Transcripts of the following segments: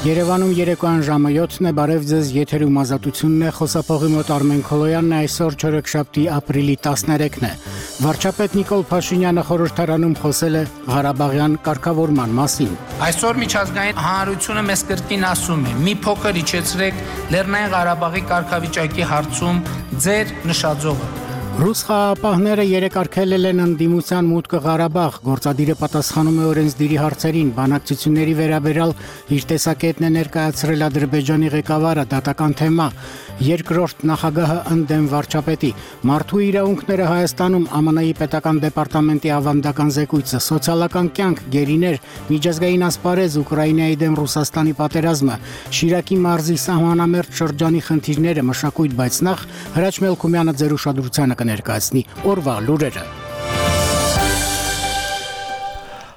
Երևանում երեկոյան ժամը 7-ն է, բարև ձեզ, եթերում ազատությունն է, խոսափողի մոտ Արմեն Քոլոյանն է, այսօր չորեքշաբթի ապրիլի 13-ն է։ Վարչապետ Նիկոլ Փաշինյանը խորհրդարանում խոսել է Ղարաբաղյան կարգավորման մասին։ Այսօր միջազգային հանրությունը մեզ կրկին ասում է՝ մի փոքր իջեցրեք Լեռնային Ղարաբաղի կարգավիճակի հարցում ձեր նշաձողը։ Ռուս խաղաղապահները երեկարգել են ընդդիմության մուտքը Ղարաբաղ, գործադիրը պատասխանում է օրենսդիրի հարցերին, բանակցությունների վերաբերյալ իր տեսակետն է ներկայացրել Ադրբեջանի ղեկավարը, դատական թեմա, երկրորդ նախագահը ընդդեմ վարչապետի, մարդու իրավունքները Հայաստանում, ԱՄՆ-ի պետական դեպարտամենտի ավանդական զեկույցը, սոցիալական կյանք, գերիներ, միջազգային ասպարեզ, Ուկրաինայի դեմ Ռուսաստանի պատերազմը, Շիրակի մարզի սահմանամերձ շրջանի խնդիրները, մշակույթ, բայց նախ Հրաչ Մելքումյանը ձեր ուշադրությանը կներկայացնի օրվա լուրերը։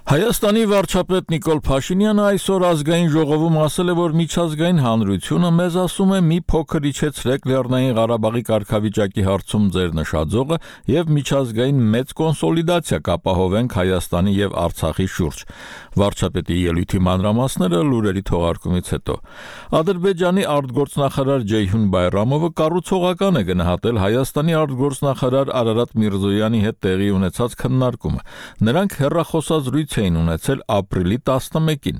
Հայաստանի վարչապետ Նիկոլ Փաշինյանը այսօր ազգային ժողովում ասել է, որ միջազգային հանրությունը մեզ ասում է մի փոքր իջեցրեք Լեռնային Ղարաբաղի կարգավիճակի հարցում ձեր նշաձողը եւ միջազգային մեծ կոնսոլիդացիա կապահովենք Հայաստանի եւ Արցախի շուրջ։ Վարչապետի ելույթի մանրամասները լուրերի թողարկումից հետո։ Ադրբեջանի արտգործնախարար Ջեյհուն Բայրամովը կառուցողական է գնահատել Հայաստանի արտգործնախարար Արարատ Միրզոյանի հետ տեղի ունեցած քննարկումը։ Նրանք հեռախոսազրույց էին ունեցել ապրիլի 11-ին։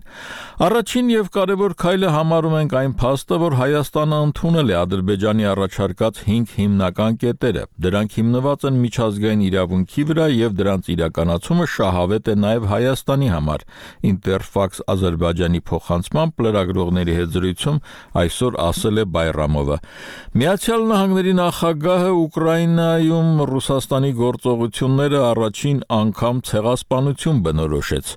Առաջին եւ կարևոր քայլը համարում ենք այն փաստը, որ Հայաստանը ընդունել է Ադրբեջանի առաջարկած 5 հիմնական կետերը։ Դրանք հիմնված են միջազգային իրավունքի վրա եւ դրանց իրականացումը շահավետ է նաեւ Հայաստանի համար։ Interfax Ադրբեջանի փոխանցմամբ լրագրողների հետ զրույցում այսօր ասել է Բայրամովը։ Միացյալ Նահանգների նախագահը Ուկրաինայում Ռուսաստանի գործողությունները առաջին անգամ ցեղասպանություն բնորոշեց։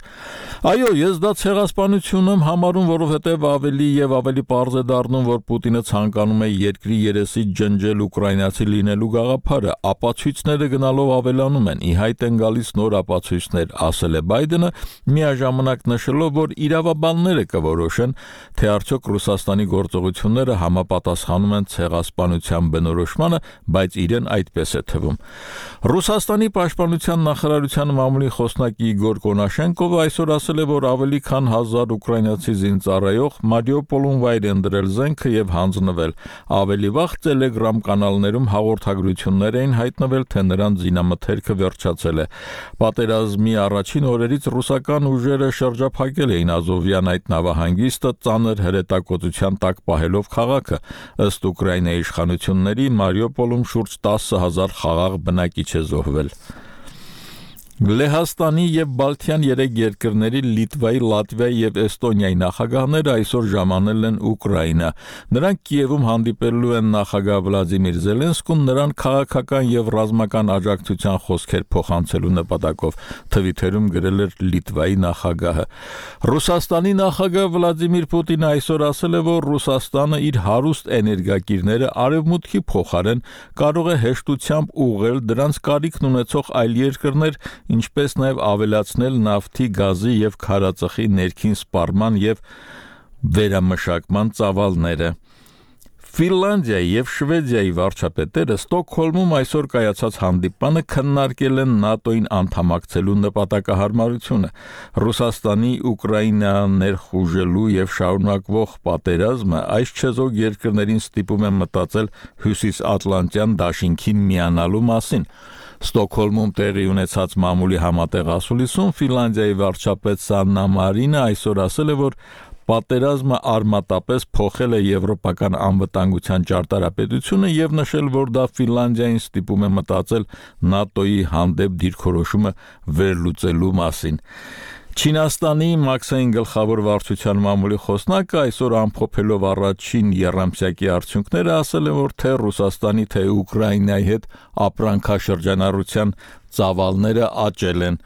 Այո, ես դա ցեղասպանություն եմ համարում, որովհետև ավելի եւ ավելի պարզ է դառնում, որ Պուտինը ցանկանում է երկրի երեսից ջնջել ուկրաինացի լինելու գաղափարը։ Ապացույցները գնալով ավելանում են, ի հայտ են գալիս նոր ապացույցներ, ասել է Բայդենը, միաժամանակ նշելով, որ իրավաբանները կորոշեն, թե արդյոք Ռուսաստանի գործողությունները համապատասխանում են ցեղասպանության բնորոշմանը, բայց իրեն այդպես է թվում։ Ռուսաստանի պաշտպանության նախարարության մամուլի խոսնակ Իգոր Կոնաշենկովը այսօր ասել է, որ ավելի քան 1000 ուկրաինացի զինծառայող Մարիուպոլում վայր են դրել զենքը եւ հանձնվել։ Ավելի վաղ Telegram կանալներում հաղորդագրություններ էին հայտնվել, թե նրանց զինամթերքը վերջացել է։ Պատերազմի առաջին օրերից ռուսական ուժերը շրջափակել էին Ազովյան այդ նավահանգիստը, ծանր հրետակոծության տակ պահելով քաղաքը։ Ըստ Ուկրաինայի իշխանությունների Մարիուպոլում շուրջ 10000 խաղաղ բնակիչ է զոհվել։ Լեհաստանի եւ Բալթյան 3 երկրների Լիտվայի, Լատվիայի եւ Էստոնիայի նախագահները այսօր ժամանել են Ուկրաինա։ Նրանք Կիևում հանդիպելու են նախագահ Վլադիմիր Զելենսկուն, նրան քաղաքական եւ ռազմական աջակցության խոսքեր փոխանցելու նպատակով, Թվիտերում գրել էր Լիտվայի նախագահը։ Ռուսաստանի նախագահ Վլադիմիր Պուտինը այսօր ասել է, որ Ռուսաստանը իր հարուստ էներգակիրները արևմուտքի փոխարեն կարող է հեշտությամբ ուղղել դրանց կարիքն ունեցող այլ երկրներ, ինչպես նաև ավելացնել նավթի, գազի եւ քարածխի ներքին սպառման եւ վերամշակման ծավալները։ Ֆինլանդիայի եւ Շվեդիայի վարչապետերը Ստոկհոլմում այսօր կայացած հանդիպանը քննարկել են ՆԱՏՕ-ին անդամակցելու նպատակահարմարությունը։ Ռուսաստանի Ուկրաինա ներխուժելու եւ շարունակվող պատերազմը այս չեզոք երկրներին ստիպում է մտածել Հյուսիսատլանտյան դաշինքին միանալու մասին։ Ստոկհոլմում տեղի ունեցած մամուլի համատեղ ասուլիսում Ֆինլանդիայի վարչապետ Սաննա Մարինը այսօր ասել է, որ պատերազմը արմատապես փոխել է եվրոպական անվտանգության ճարտարապետությունը եւ նշել, որ դա Ֆինլանդիային ստիպում է մտածել ՆԱՏՕ-ի հանդեպ դիրքորոշումը վերլուծելու մասին։ Չինաստանի Մաքսային գլխավոր վարչության մամուլի խոսնակը այսօր ամփոփելով առաջին եռամսյակի արդյունքները ասել է, որ թե Ռուսաստանի, թե Ուկրաինայի հետ ապրանքաշրջանառության ծավալները աճել են։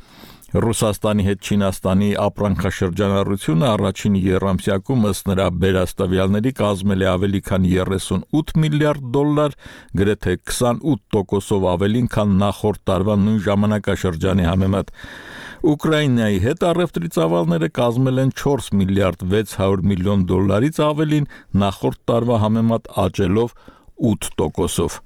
Ռուսաստանի հետ Չինաստանի ապրանքաշրջանառությունը առաջին եռամսյակում ըստ նրա բերաստավյալների կազմել է ավելի քան 38 միլիարդ դոլար, գրեթե 28%-ով ավելին, քան նախորդ տարվա նույն ժամանակաշրջանի համեմատ։ Ուկրաինայի հետ առևտրի ծավալները կազմել են 4 միլիարդ 600 միլիոն դոլարից ավելին, նախորդ տարվա համեմատ աճելով 8%-ով։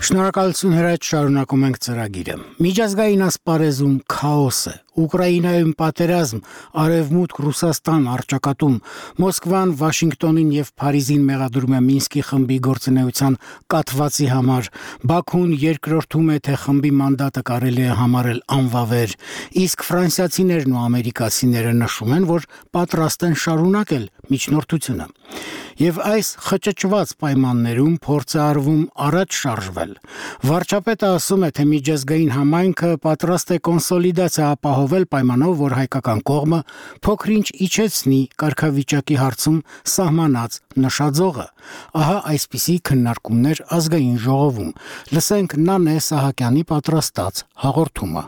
Շնորհակալություն Հրաչ, շարունակում ենք ծրագիրը։ Միջազգային ասպարեզում քաոս է։ Ուկրաինայում պատերազմ, Արևմուտք Ռուսաստան առճակատում, Մոսկվան Վաշինգտոնին եւ Փարիզին մեղադրում է Մինսկի խմբի գործունեության կաթվածի համար, Բաքուն երկրորդում է, թե խմբի մանդատը կարելի է համարել անվավեր, իսկ ֆրանսիացիներն ու ամերիկացիները նշում են, որ պատրաստ են շարունակել միջնորդությունը։ Եվ այս խճճված պայմաններում փորձ է արվում առաջ շարժվել։ Վարչապետը ասում է, թե միջազգային համայնքը պատրաստ է կոնսոլիդացիա ապահովել պայմանով, որ հայկական կողմը փոքրինչ իջեցնի կարգավիճակի հարցում սահմանած նշաձողը։ Ահա այսպիսի քննարկումներ ազգային ժողովում։ Լսենք Նանե Սահակյանի պատրաստած հաղորդումը։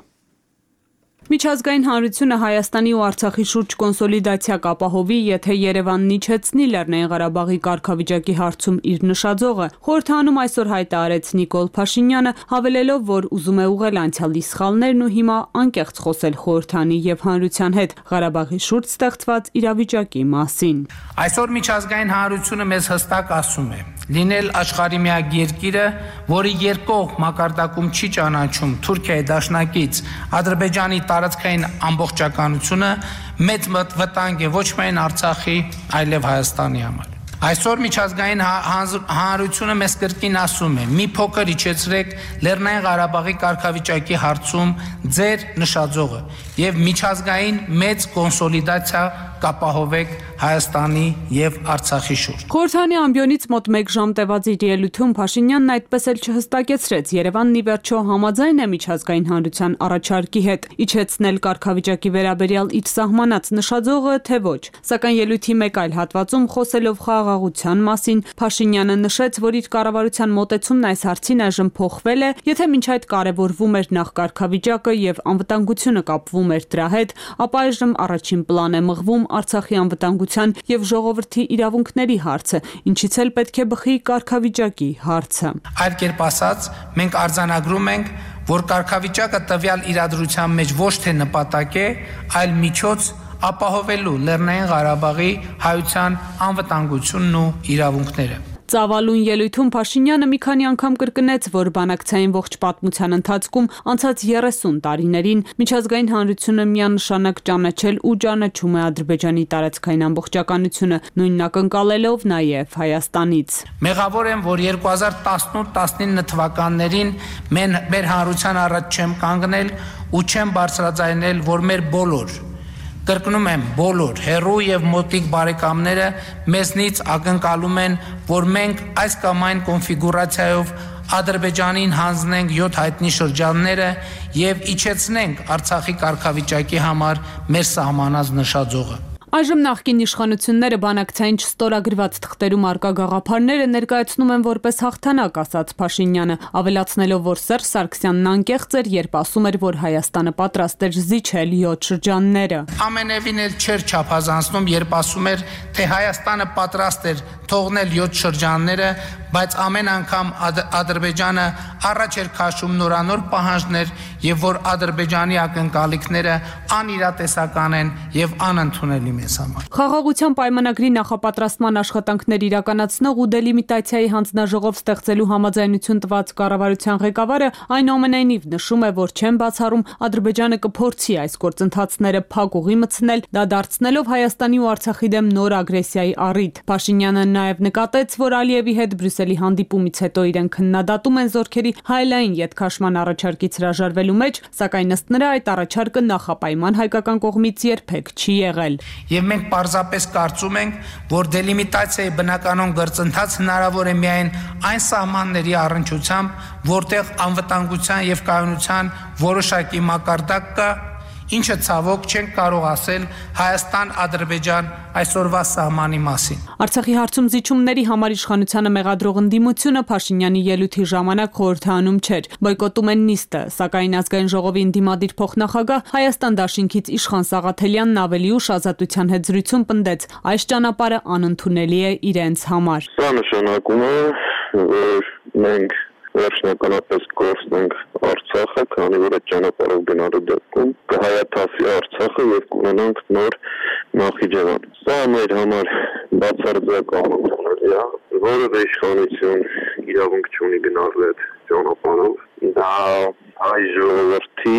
Միջազգային հանրությունը Հայաստանի ու Արցախի շուրջ կոնսոլիդացիա կապահովի, եթե Երևանն իջեցնի Լեռնային Ղարաբաղի կարգավիճակի հարցում իր նշաձողը։ Խորհրդանում այսօր հայտ արեց Նիկոլ Փաշինյանը, հավելելով, որ ուզում է ուղղել անցյալի սխալներն ու հիմա անկեղծ խոսել խորհրդանի եւ հանրության հետ Ղարաբաղի շուրջ ստեղծված իրավիճակի մասին։ Այսօր միջազգային հանրությունը մեզ հստակ ասում է. լինել աշխարհի միակ երկիրը, որի երկկողմ մակարդակում չի ճանաչում Թուրքիայի դաշնակից Ադրբեջանի տարածքային ամբողջականությունը, մեծ վտանգ է ոչ միայն Արցախի, այլև Հայաստանի համար։ Այսօր միջազգային հանրությունը մեզ կրկին ասում է. մի փոքր իջեցրեք Լեռնային Ղարաբաղի կարգավիճակի հարցում ձեր նշաձողը եւ միջազգային մեծ կոնսոլիդացիա կապահովեք Հայաստանի եւ Արցախի շուրջ։ Խորհրդանի ամբիոնից մոտ 1 ժամ տևած իր ելույթում Փաշինյանն այդպես էլ չհստակեցրեց Երևանն ի վերջո համաձայն է միջազգային հանրության առաջարկի հետ իջեցնել կարգավիճակի վերաբերյալ իր սահմանած նշաձողը, թե ոչ։ Սակայն ելույթի մեկ այլ հատվածում խոսելով խաղաղության մասին Փաշինյանը նշեց, որ իր կառավարության մոտեցումն այս հարցին այժմ փոխվել է, եթե մինչ այդ կարևորվում էր նախ կարգավիճակը եւ անվտանգությունը կապվում էր դրա հետ, ապա այժմ առաջին պլան է մղվում Արցախի անվտանգության եւ ժողովրդի իրավունքների հարցը, ինչից էլ պետք է բխի կարգավիճակի հարցը։ Այլ կերպ ասած, մենք արձանագրում ենք, որ կարգավիճակը տվյալ իրադրության մեջ ոչ թե նպատակ է, այլ միջոց ապահովելու Լեռնային Ղարաբաղի հայության անվտանգությունն ու իրավունքները։ Ծավալուն ելույթում Փաշինյանը մի քանի անգամ կրկնեց, որ բանակցային ողջ պատմության ընթացքում անցած 30 տարիներին միջազգային հանրությունը միանշանակ ճանաչել ու ճանաչում է Ադրբեջանի տարածքային ամբողջականությունը, նույնն ակնկալելով նաև Հայաստանից։ Մեղավոր եմ, որ 2018-19 թվականներին մեր հանրության առաջ չեմ կանգնել ու չեմ բարձրաձայնել, որ մեր բոլոր կրկնում եմ, բոլոր հերու եւ մոտիկ բարեկամները մեզնից ակնկալում են, որ մենք այս կամ այն կոնֆիգուրացիայով Ադրբեջանին հանձնենք 7 հայտնի շրջանները եւ իջեցնենք Արցախի կարգավիճակի համար մեր սահմանած նշաձողը։ Այժմ նախկին իշխանությունները բանակցային չստորագրված թղթերում արկա գաղափարները ներկայացնում են որպես հաղթանակ, ասաց Փաշինյանը, ավելացնելով, որ Սերժ Սարգսյանն անկեղծ էր, երբ ասում էր, որ Հայաստանը պատրաստ էր զիջել 7 շրջանները։ Ամենևին էլ չէր չափազանցնում, երբ ասում էր, թե Հայաստանը պատրաստ էր թողնել 7 շրջանները, բայց ամեն անգամ Ադրբեջանը առաջ էր քաշում նորանոր պահանջներ եւ որ Ադրբեջանի ակնկալիքները անիրատեսական են եւ անընդունելի մեզ համար։ Խաղաղության պայմանագրի նախապատրաստման աշխատանքներ իրականացնող ու դելիմիտացիայի հանձնաժողով ստեղծելու համաձայնություն տված կառավարության ղեկավարը այնուամենայնիվ նշում է, որ չեն բացառում Ադրբեջանը կփորձի այս գործընթացները փակուղի մտցնել, դա դարձնելով Հայաստանի ու Արցախի դեմ նոր ագրեսիայի առիթ։ Փաշինյանը նաև նկատեց, որ Ալիևի հետ Բրյուսելի հանդիպումից հետո իրեն քննադատում են զորքերի հայելային ետքաշման առաջարկից հրաժարվելու մեջ, սակայն ըստ նրա այդ առաջարկը նախապայման հայկական կողմից երբեք չի եղել։ Եվ մենք պարզապես կարծում ենք, որ դելիմիտացիայի բնականon գործընթաց հնարավոր է միայն այն սահմանների առնչությամբ, որտեղ անվտանգության եւ կայունության որոշակի մակարդակ կա, ինչը ցավոք չենք կարող ասել Հայաստան-Ադրբեջան այսօրվա սահմանի մասին։ Արցախի հարցում զիջումների համար իշխանությանը մեղադրող ընդդիմությունը Փաշինյանի ելույթի ժամանակ խորհրդանում չէր, բոյկոտում են նիստը, սակայն ազգային ժողովի ընդդիմադիր փոխնախագահ Հայաստան դաշինքից Իշխան Սաղաթելյանն ավելի ուշ Ազատության հետ զրույցում պնդեց, այս ճանապարհը անընդունելի է իրենց համար։ Սա նշանակում է, որ մենք վերջնականապես կորցնենք Արցախը, քանի որ այդ ճանապարհով գնալու դեպքում կհայաթափի Արցախը եւ կունենանք նոր Նախիջևան։ Սա մեր համար բացարձակ անընդունելի է, որևէ իշխանություն իրավունք չունի գնալ այդ ճանապարհով դա հայ ժողովրդի,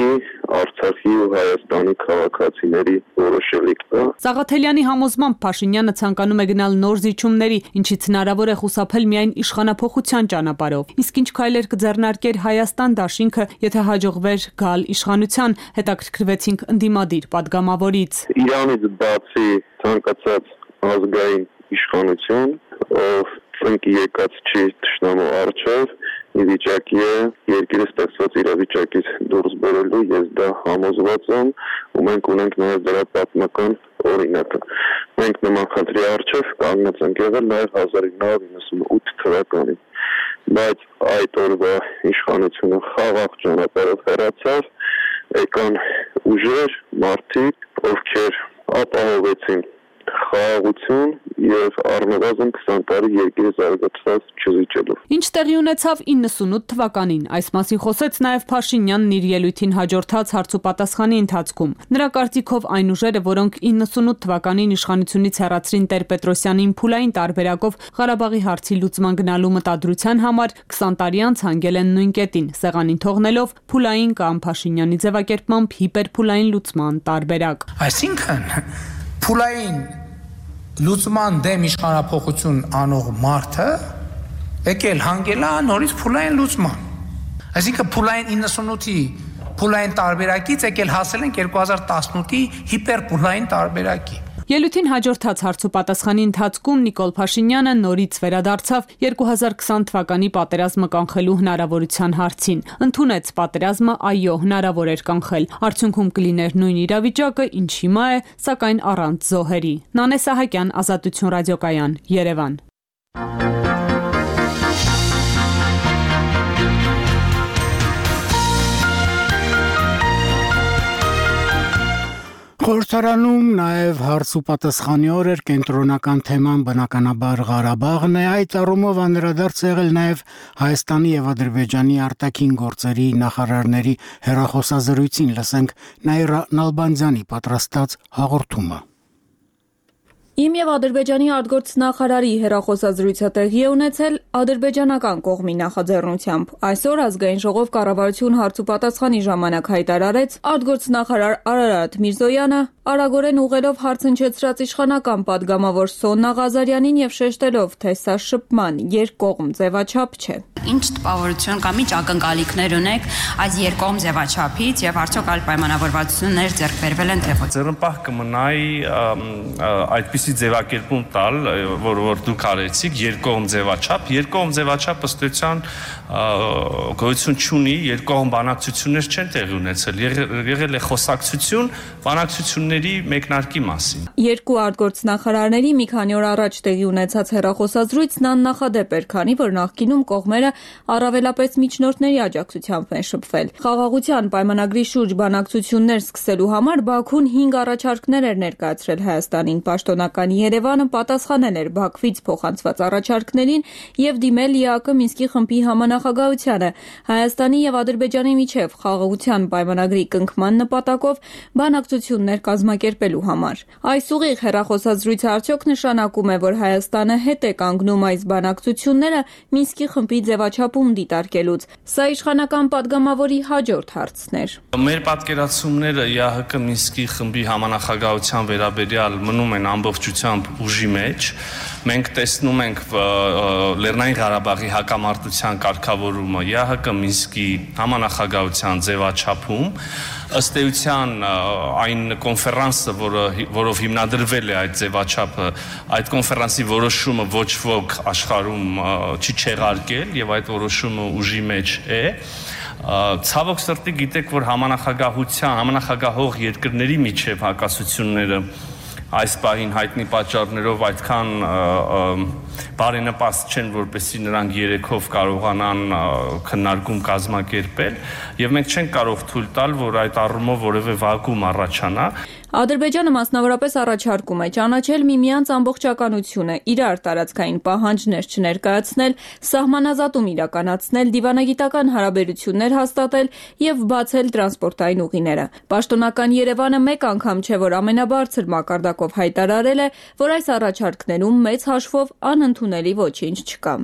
Արցախի ու Հայաստանի քաղաքացիների որոշելիք է։ Սաղաթելյանի համոզմամբ Փաշինյանը ցանկանում է գնալ նոր զիջումների, ինչից հնարավոր է խուսափել միայն իշխանափոխության ճանապարհով։ Իսկ ինչ քայլեր կձեռնարկեր Հայաստան դաշինքը, եթե հաջողվեր գալ իշխանության, հետաքրքրվեցինք ընդդիմադիր падգամավորից։ Իրանից բացի ցանկացած ազգային իշխանություն, ով ծնկի եկած չի թշնամու առջև, ի վիճակի է երկիրը ստեղծված իրավիճակից դուրս բերելու, ես դա համոզված եմ, ու մենք ունենք նաև դրա պատմական օրինակը։ Մենք նման խնդրի առջև կանգնած ենք եղել նաև 1998 թվականին, բայց այդ օրվա իշխանությունը խաղաղ ճանապարհով հեռացավ, եկան ուժեր, մարդիկ, ովքեր ապահովեցին խաղաղություն եւ առնվազն 20 տարի երկիրը զարգացած չզիջելով։ Ինչ տեղի ունեցավ 98 թվականին, այս մասին խոսեց նաև Փաշինյանն իր ելույթին հաջորդած հարցուպատասխանի ընթացքում։ Նրա կարծիքով այն ուժերը, որոնք 98 թվականին իշխանությունից հեռացրին Տեր-Պետրոսյանին փուլային տարբերակով Ղարաբաղի հարցի լուծման գնալու մտադրության համար, 20 տարի անց հանգել են նույն կետին, սեղանին թողնելով փուլային կամ Փաշինյանի ձևակերպմամբ հիպերփուլային լուծման տարբերակ։ Այսինքն փուլային լուծման դեմ իշխանափոխություն անող մարդը եկել հանգել է նորից փուլային լուծման։ Այսինքն փուլային 98-ի փուլային տարբերակից եկել հասել են 2018-ի հիպերփուլային տարբերակի։ Ելույթին հաջորդած հարցուպատասխանի ընթացքում Նիկոլ Փաշինյանը նորից վերադարձավ 2020 թվականի պատերազմը կանխելու հնարավորության հարցին։ Ընդունեց պատերազմը այո հնարավոր էր կանխել։ Արդյունքում կլիներ նույն իրավիճակը, ինչ հիմա է, սակայն առանց զոհերի։ Նանե Սահակյան, Ազատություն ռադիոկայան, Երևան։ Խորհրդարանում նաև հարց ու պատասխանի օր էր, կենտրոնական թեման բնականաբար Ղարաբաղն է, այդ առումով անդրադարձ եղել նաև Հայաստանի եւ Ադրբեջանի արտաքին գործերի նախարարների հեռախոսազրույցին, լսենք Նաիրա Նալբանդյանի պատրաստած հաղորդումը։ Իմ եւ Ադրբեջանի արտգործնախարարի հեռախոսազրույցը տեղի է ունեցել ադրբեջանական կողմի նախաձեռնությամբ։ Այսօր ազգային ժողով կառավարություն հարցուպատասխանի ժամանակ հայտարարեց արտգործնախարար Արարատ Միրզոյանը, արագորեն ուղղելով հարց հնչեցրած իշխանական падգամավոր Սոննա Ղազարյանին եւ շեշտելով, թե սա շփման երկկողմ ձևաչափ չէ։ Ինչ տպավորություն կամ ինչ ակնկալիքներ ունեք այս երկկողմ ձևաչափից եւ արդյոք այլ պայմանավորվածություններ ձեռք բերվել են թե ոչ։ Ձեռնպահ կմնայի այդպիսի ձևակերպում տալ, որ դուք արեցիք երկկողմ ձևաչափ ըստ էության գոյություն չունի, երկկողմ բանակցություններ չեն տեղի ունեցել, եղել է խոսակցություն բանակցությունների մեկնարկի մասին։ Երկու արտգործնախարարների մի քանի օր առաջ տեղի ունեցած հեռախոսազրույցն աննախադեպ էր, քանի որ նախկինում կողմերը առավելապես միջնորդների աջակցությամբ են շփվել։ Խաղաղության պայմանագրի շուրջ բանակցություններ սկսելու համար Բաքուն 5 առաջարկներ էր ներկայացրել Հայաստանին։ Պաշտոնական Երևանը պատասխանել էր Բաքվից փոխանցված առաջարկներին եւ դիմել ԵԱԿ Մինսկի խմբի համանախագահությանը Հայաստանի եւ Ադրբեջանի միջև խաղաղության պայմանագրի կնքման նպատակով բանակցություններ կազմակերպելու համար։ Այս ուղիղ հեռախոսազրույցը արդյոք նշանակում է, որ Հայաստանը հետ է կանգնում այս բանակցությունները Մինսկի խմբի ձևաչափում դիտարկելուց։ Սա իշխանական падգամավորի հաջորդ հարցն էր։ Մեր պատկերացումները ԵԱՀԿ Մինսկի խմբի համանախագահության վերաբերյալ մնում են ամբողջությամբ ուժի մեջ։ Մենք տեսնում ենք Լեռնային Ղարաբաղի հակամարտության կարգավորումը ԵԱՀԿ Մինսկի համանախագահության ձևաչափում։ Ըստ էության այն կոնֆերանսը, որով հիմնադրվել է այդ ձևաչափը, այդ կոնֆերանսի որոշումը ոչ ոք աշխարհում չի չեղարկել եւ այդ որոշումը ուժի մեջ է։ Ցավոք սրտի գիտեք, որ համանախագահող երկրների միջև հակասությունները այս պահին հայտնի պատճառներով այդքան բարենպաստ չեն, որպեսզի նրանք երեքով կարողանան քննարկում կազմակերպել, եւ մենք չենք կարող թույլ տալ, որ այդ առումով որևէ վակուում առաջանա։ Ադրբեջանը մասնավորապես առաջարկում է ճանաչել միմյանց ամբողջականությունը, իրար տարածքային պահանջներ չներկայացնել, սահմանազատում իրականացնել, դիվանագիտական հարաբերություններ հաստատել եւ բացել տրանսպորտային ուղիները։ Պաշտոնական Երևանը մեկ անգամ չէ, որ ամենաբարձր մակարդակով հայտարարել է, որ այս առաջարկներում մեծ հաշվով անընդունելի ոչինչ չկա։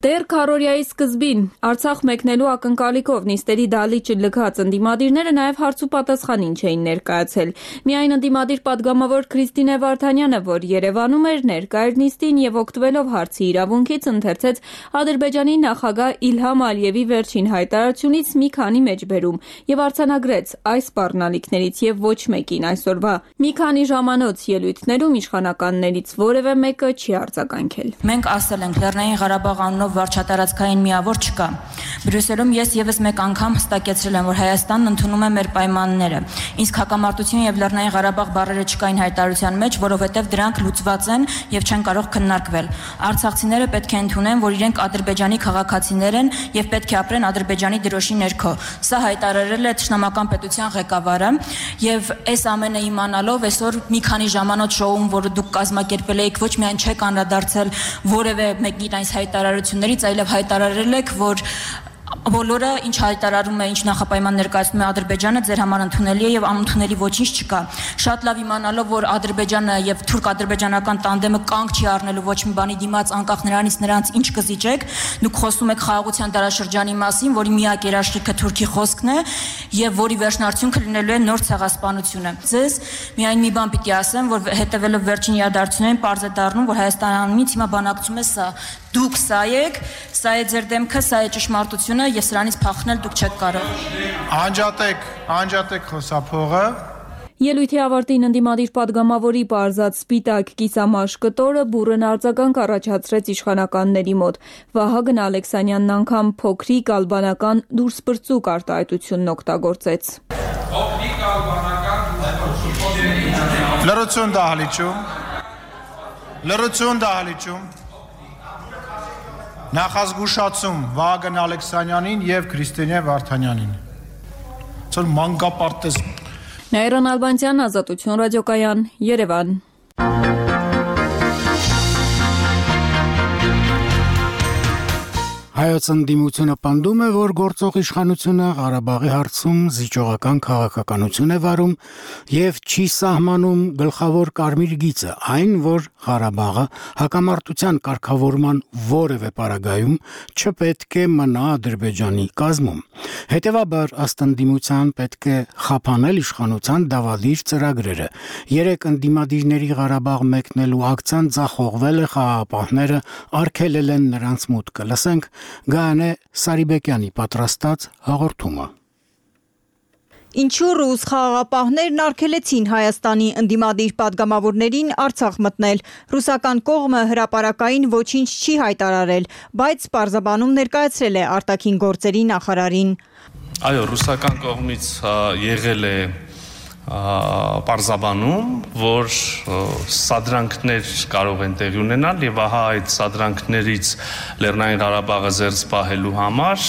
Դեռ քառորիայի սկզբին Արցախ մեկնելու ակնկալիքով նիստերի դահլիճը լքած ընդդիմադիրները նաև հարց ու պատասխանին չէին ներկայացել։ Միայն ընդդիմադիր պատգամավոր Քրիստինե Վարդանյանը, որ Երևանում էր, ներկա էր նիստին եւ օգտվելով հարցի իրավունքից ընթերցեց Ադրբեջանի նախագահ Իլհամ Ալիևի վերջին հայտարարությունից մի քանի մեջբերում եւ արձանագրեց այս սպառնալիքներից եւ ոչ մեկին այսօրվա։ Մի քանի ժամանոց ելույթներում իշխանականներից որևէ մեկը չի արձագանքել։ Մենք ասել ենք Լեռնային Ղարաբաղ անունով վարչատարածքային միավոր չկա։ Բրյուսելում ես եւս մեկ անգամ հստակեցրել եմ, որ Հայաստանն ընդունում է մեր պայմանները։ Իսկ հակամարտություն եւ Լեռնային Ղարաբաղ բառերը չկային հայտարարության մեջ, որովհետեւ դրանք լուծված են եւ չեն կարող քննարկվել։ Արցախցիները պետք է ընդունեն, որ իրենք Ադրբեջանի քաղաքացիներ են եւ պետք է ապրեն Ադրբեջանի դրոշի ներքո։ Սա հայտարարել է Թշնամական պետության ղեկավարը եւ այս ամենը իմանալով այսօր մի քանի ժամանոց շոուն, որը դուք կազմակերպել եք, ոչ միայն չեք անդրադարձել որևէ մեկին այս հայտարարություններից, այլև հայտարարել եք, որ բոլորը ինչ հայտարարում է, ինչ նախապայման ներկայացնում է Ադրբեջանը, ձեր համար ընդունելի է եւ անընդունելի ոչինչ չկա։ Շատ լավ իմանալով, որ Ադրբեջանը եւ թուրք-ադրբեջանական տանդեմը կանգ չի առնելու ոչ մի բանի դիմաց, անկախ նրանից նրանց ինչ կզիջեք, դուք խոսում եք խաղաղության դարաշրջանի մասին, որի միակ երաշխիքը Թուրքի խոսքն է եւ որի վերջնարդյունքը լինելու է նոր ցեղասպանությունը։ Ձեզ միայն մի բան պիտի ասեմ, որ հետեւելով վերջին իրադարձություններին պարզ է դառնում, որ Հայաստանից հիմա բանակցում է սա։ Դուք սա եք, սա է ձեր դեմքը, սա է ճշմարտությունը եւ սրանից փախնել դուք չեք կարող։ Անջատեք խոսափողը։ Ելույթի ավարտին ընդդիմադիր պատգամավորի պարզած սպիտակ կիսամաշ կտորը բուռն արձագանք առաջացրեց իշխանականների մոտ։ Վահագն Ալեքսանյանն անգամ փոքրիկ ալբանական դուրսպրծուկ արտահայտությունն օգտագործեց։ Փոքրիկ ալբանական Լրություն դահլիճում Նախազգուշացում Վահագն Ալեքսանյանին եւ Քրիստինե Վարդանյանին։ Ցոր մանկապարտեզ Նաիրան Ալբանցյան, Ազատություն ռադիոկայան, Երևան։ Հայոց ընդդիմությունը պնդում է, որ գործող իշխանությունը Ղարաբաղի հարցում զիջողական քաղաքականություն է վարում եւ չի սահմանում գլխավոր կարմիր գիծը, այն, որ Ղարաբաղը հակամարտության կարգավորման որևէ պարագայում չպետք է մնա Ադրբեջանի կազմում։ Հետևաբար, ըստ ընդդիմության պետք է խափանել իշխանության դավադիր ծրագրերը։ Երեք ընդդիմադիրների Ղարաբաղ մեկնելու ակցիան ձախողվել է, խաղաղապահները արգելել են նրանց մուտքը։ Լսենք Գանե Սարիբեկյանի պատրաստած հաղորդումը։ Ինչու ռուս խաղաղապահներն արգելեցին Հայաստանի ընդդիմադիր պատգամավորներին Արցախ մտնել։ Ռուսական կողմը հրապարակային ոչինչ չի հայտարարել, բայց պարզաբանում ներկայացրել է արտաքին գործերի նախարարին։ Այո, ռուսական կողմից եղել է պարզաբանում, որ սադրանքներ կարող են տեղի ունենալ եւ ահա այդ սադրանքներից Լեռնային Ղարաբաղը զերծ պահելու համար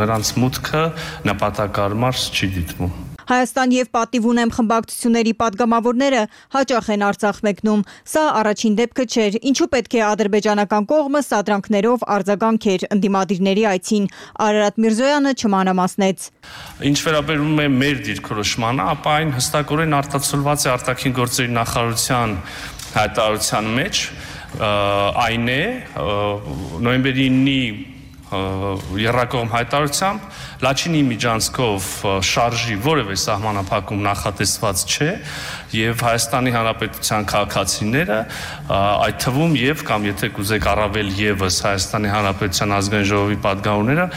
նրանց մուտքը նպատակարար չի դիտվում։ Հայաստան եւ Պատիվ ունեմ խմբակցությունների պատգամավորները հաճախ են Արցախ մեկնում։ Սա առաջին դեպքը չէր, ինչու պետք է ադրբեջանական կողմը սադրանքներով արձագանքեր ընդդիմադիրների այցին։ Արարատ Միրզոյանը չմանրամասնեց։ Ինչ վերաբերում է մեր դիրքորոշմանը, ապա այն հստակորեն արտացոլված է արտաքին գործերի նախարարության հայտարարության մեջ, այն է նոյեմբերի 9-ի երրակողմ հայտարարությամբ Լաչինի միջանցքով շարժի որևէ սահմանափակում նախատեսված չէ եւ Հայաստանի Հանրապետության քաղաքացիները այդ թվում եւ կամ եթե կուզեք առավել եւս Հայաստանի Հանրապետության ազգային ժողովի պատգամավորները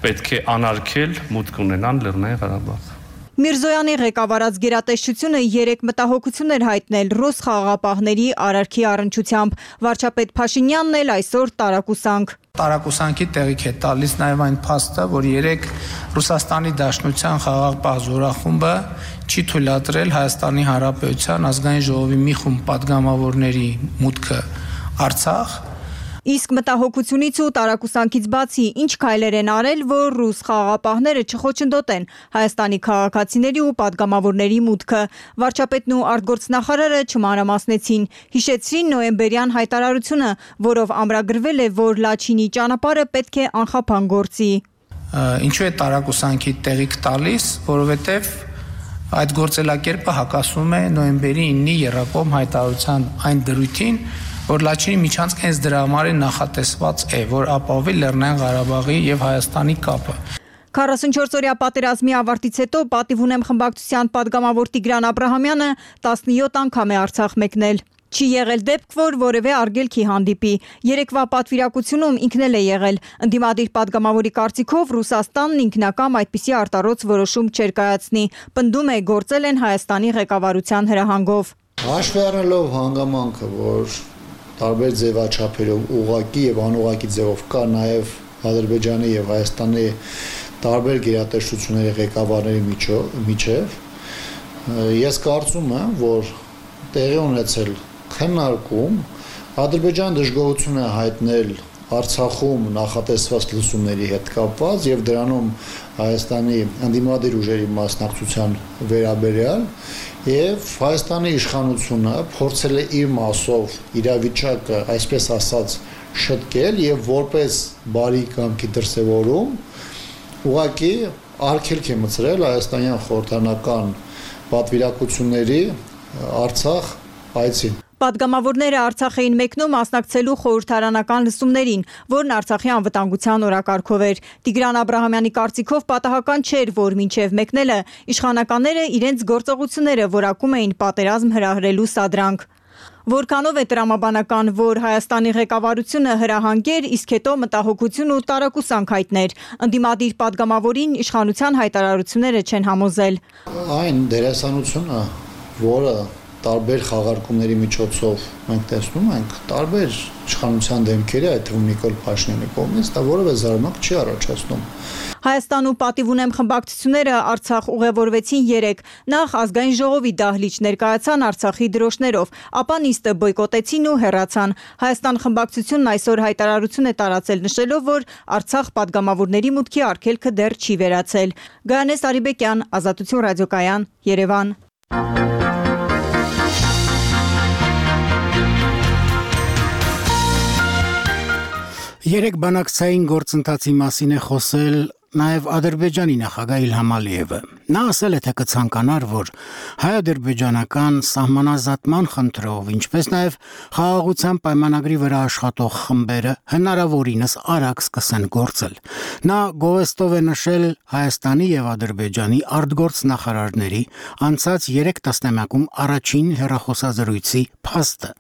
պետք է անարգել մուտք ունենան Լեռնային Ղարաբաղ։ Միրզոյանի ղեկավարած գերատեսչությունը 3 մտահոգություն էր հայտնել ռուս խաղաղապահների արարքի առնչությամբ։ Վարչապետ Փաշինյանն էլ այսօր տարակուսանք։ Տարակուսանքի տեղիք է տալիս նաև այն փաստը, որ 3 Ռուսաստանի Դաշնության խաղաղապահ զորախումբը չի թույլատրել Հայաստանի Հանրապետության ազգային ժողովի մի խումբ պատգամավորների մուտքը Արցախ։ Իսկ մտահոգությունից ու տարակուսանքից բացի ինչ քայլեր են արել, որ ռուս խաղաղապահները չխոչընդոտեն Հայաստանի քաղաքացիների ու պատգամավորների մուտքը։ Վարչապետն ու արտգործնախարարը չմանրամասնեցին, հիշեցրին նոյեմբերյան հայտարարությունը, որով ամրագրվել է, որ Լաչինի ճանապարհը պետք է անխափան գործի։ Ինչու է տարակուսանքի տեղիք տալիս, որովհետև այդ գործելակերպը հակասում է նոյեմբերի 9-ի երրակողմ հայտարարության այն դրույթին, որ Լաչինի միջանցք հենց դրա համար նախատեսված է, որ ապահովի Լեռնային Ղարաբաղի եւ Հայաստանի կապը։ 44-օրյա պատերազմի ավարտից հետո պատիվ ունեմ խմբակցության падգամավոր Տիգրան Աբրահամյանը 17 անգամ է Արցախ մեկնել։ Չի եղել դեպք, որ որևէ արգելքի հանդիպի։ Երեկվա պատվիրակությունում ինքն էլ է եղել։ Ընդդիմադիր падգամավորի կարծիքով Ռուսաստանն ինքնակամ այդպիսի արտարոց որոշում չէր կայացնի։ Պնդում է գործել են Հայաստանի ղեկավարության հրահանգով։ Հաշվի առնելով հանգամանքը, որ տարբեր ձևաչափերով ուղղակի եւ անուղղակի ձևով կա նաեւ Ադրբեջանի եւ Հայաստանի տարբեր գերատեսչությունների ղեկավարների միջև, ես կարծում եմ, որ տեղի ունեցել քննարկում, Ադրբեջանը դժգոհություն է հայտնել Արցախում նախատեսված լսումների հետ կապված եւ դրանում Հայաստանի ընդդիմադիր ուժերի մասնակցության վերաբերյալ եւ Հայաստանի իշխանությունը փորձել է իր մասով իրավիճակը, այսպես ասած, շտկել եւ որպես բարի կամքի դրսեւորում ուղղակի արգելք է մտցրել հայաստանյան խորհրդանական պատվիրակությունների Արցախ այցին։ Պատգամավորները Արցախ էին մեկնում մասնակցելու խորհրդարանական լսումներին, որն Արցախի անվտանգության օրակարգով էր։ Տիգրան Աբրահամյանի կարծիքով պատահական չէր, որ մինչև մեկնելը իշխանականները իրենց գործողությունները որակում էին պատերազմ հրահրելու սադրանք։ Որքանով է տրամաբանական, որ Հայաստանի ղեկավարությունը հրահանգեր, իսկ հետո մտահոգություն ու տարակուսանք հայտներ։ Ընդդիմադիր падգամավորին իշխանության հայտարարությունները չեն համոզել։ Այն դերասանությունը, որը տարբեր խաղարկումների միջոցով մենք տեսնում ենք, տարբեր իշխանության դեմքերի, այդ թվում Նիկոլ Փաշինյանի կողմից, դա որևէ զարմանք չի առաջացնում։ Հայաստանում պատիվ ունեմ խմբակցությունները Արցախ ուղևորվեցին 3, նախ ազգային ժողովի դահլիճ ներկայացան Արցախի դրոշներով, ապա նիստը բոյկոտեցին ու հեռացան։ Հայաստան խմբակցությունն այսօր հայտարարություն է տարածել նշելով, որ Արցախ падգամավորների մուտքի արգելքը դեռ չի վերացել։ Գայանես Արիբեկյան, Ազատություն ռադիոկայան, Երևան։ Երեք բանակցային գործընթացի մասին է խոսել նաև Ադրբեջանի նախագահ Իլհամ Ալիևը։ Նա ասել է, թե կցանկանար, որ հայ-ադրբեջանական սահմանազատման խնդրով, ինչպես նաև խաղաղության պայմանագրի վրա աշխատող խմբերը հնարավորինս արագ սկսեն գործել։ Նա գովեստով է նշել Հայաստանի եւ Ադրբեջանի արտգործ նախարարների անցած 3 տասնամյակում առաջին հեռախոսազրույցի փաստը,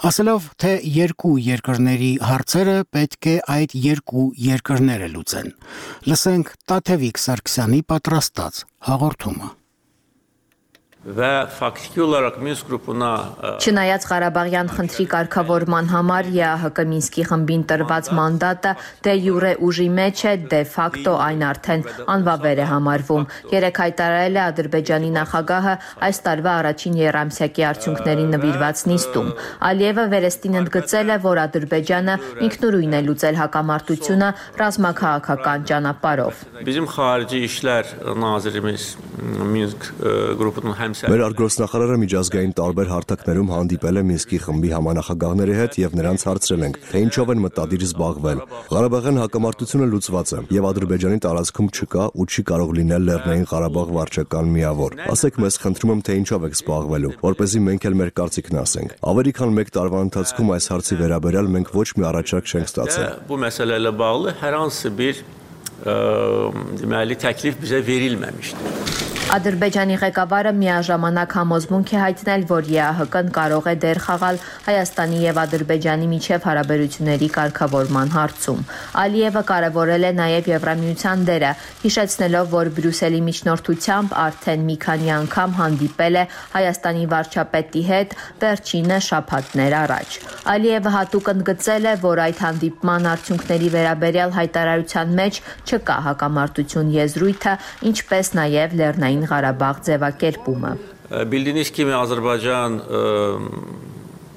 ասելով, թե երկու երկրների հարցերը պետք է այդ երկու երկրները լուծեն։ Լսենք Տաթևիկ Սարգսյանի պատրաստած հաղորդումը։ Ve faktiki olarak Minsk grubuna Չնայած Ղարաբաղյան խնդրի կարգավորման համար ԵԱՀԿ Մինսկի խմբին տրված մանդատը դե յուրե ուժի մեջ է, դե ֆակտո այն արդեն անվավեր է համարվում։ Երեք հայտարարել է Ադրբեջանի նախագահը այս տարվա առաջին եռամսյակի արդյունքներին նվիրված նիստում։ Ալիևը վերստին ընդգծել է, որ Ադրբեջանը ինքնուրույն է լուծել հակամարտությունը ռազմաքաղաքական ճանապարհով։ Bizim xarici işler nazirimiz Minsk grubunun Մեր արտգործնախարարը միջազգային տարբեր հարթակներում հանդիպել է Մինսկի խմբի համանախագահների հետ եւ նրանց հարցրել ենք, թե ինչով են մտադիր զբաղվել։ Ղարաբաղյան հակամարտությունը լուծված է եւ Ադրբեջանի տարածքում չկա ու չի կարող լինել Լեռնային Ղարաբաղ վարչական միավոր։ Ասեք մեզ, խնդրում եմ, թե ինչով եք զբաղվելու, որպեսզի մենք էլ մեր կարծիքն ասենք։ Ավելի քան 1 տարվա ընթացքում այս հարցի վերաբերյալ մենք ոչ մի առաջարկ չենք ստացել։ Bu məsələlə bağlı hər hansı bir deməli təklif bizə verilməmişdir։ Ադրբեջանի ղեկավարը միաժամանակ համոզմունք է հայտնել, որ ԵԱՀԿ-ն կարող է դեր խաղալ Հայաստանի եւ Ադրբեջանի միջև հարաբերությունների կարգավորման հարցում։ Ալիևը կարևորել է նաեւ Եվրամիության դերը, հիշեցնելով, որ Բրյուսելի միջնորդությամբ արդեն մի քանի անգամ հանդիպել է Հայաստանի վարչապետի հետ, վերջինը շաբաթներ առաջ։ Ալիևը հատուկ ընդգծել է, որ այդ հանդիպման արդյունքների վերաբերյալ հայտարարության մեջ չկա հակամարտություն եզրույթը, ինչպես նաեւ Լեռնային Ղարաբաղ ձևակերպումը։ Bildiyiniz kimi Azərbaycan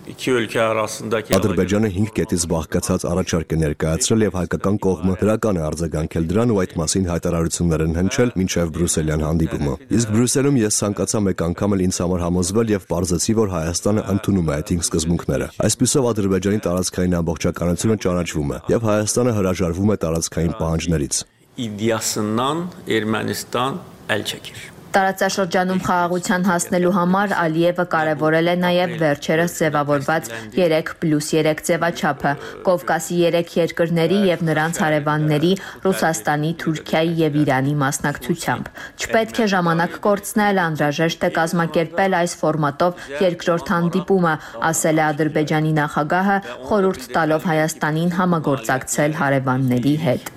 iki ölkə arasındakı Ադրբեջանը 5 կետից բաղկացած առաջարկ է ներկայացրել եւ հայկական կողմը դրական է արձագանքել դրան ու այդ մասին հայտարարություններ են հնչել մինչեւ Բրյուսելյան հանդիպումը։ Իսկ Բրյուսելում ես ցանկացա մեկ անգամ էլ ինձ համար համոզվել եւ պարզեցի, որ Հայաստանը ընդունում է այդ 5 սկզբունքները։ Այսպիսով Ադրբեջանի տարածքային ամբողջականությունը ճանաչվում է եւ Հայաստանը հրաժարվում է տարածքային պահանջներից։ İddiasından Ermənistan əl çəkir. Տարածաշրջանում խաղաղության հասնելու համար Ալիևը կարևորել է նաև վերջերս ձևավորված 3+3 ձևաչափը Կովկասի 3 երկրների եւ նրանց հարևանների Ռուսաստանի, Թուրքիայի եւ Իրանի մասնակցությամբ։ Չպետք է ժամանակ կորցնել, անհրաժեշտ է կազմակերպել այս ֆորմատով երկրորդ հանդիպումը, ասել է Ադրբեջանի նախագահը, խորհուրդ տալով Հայաստանին համագործակցել հարևանների հետ։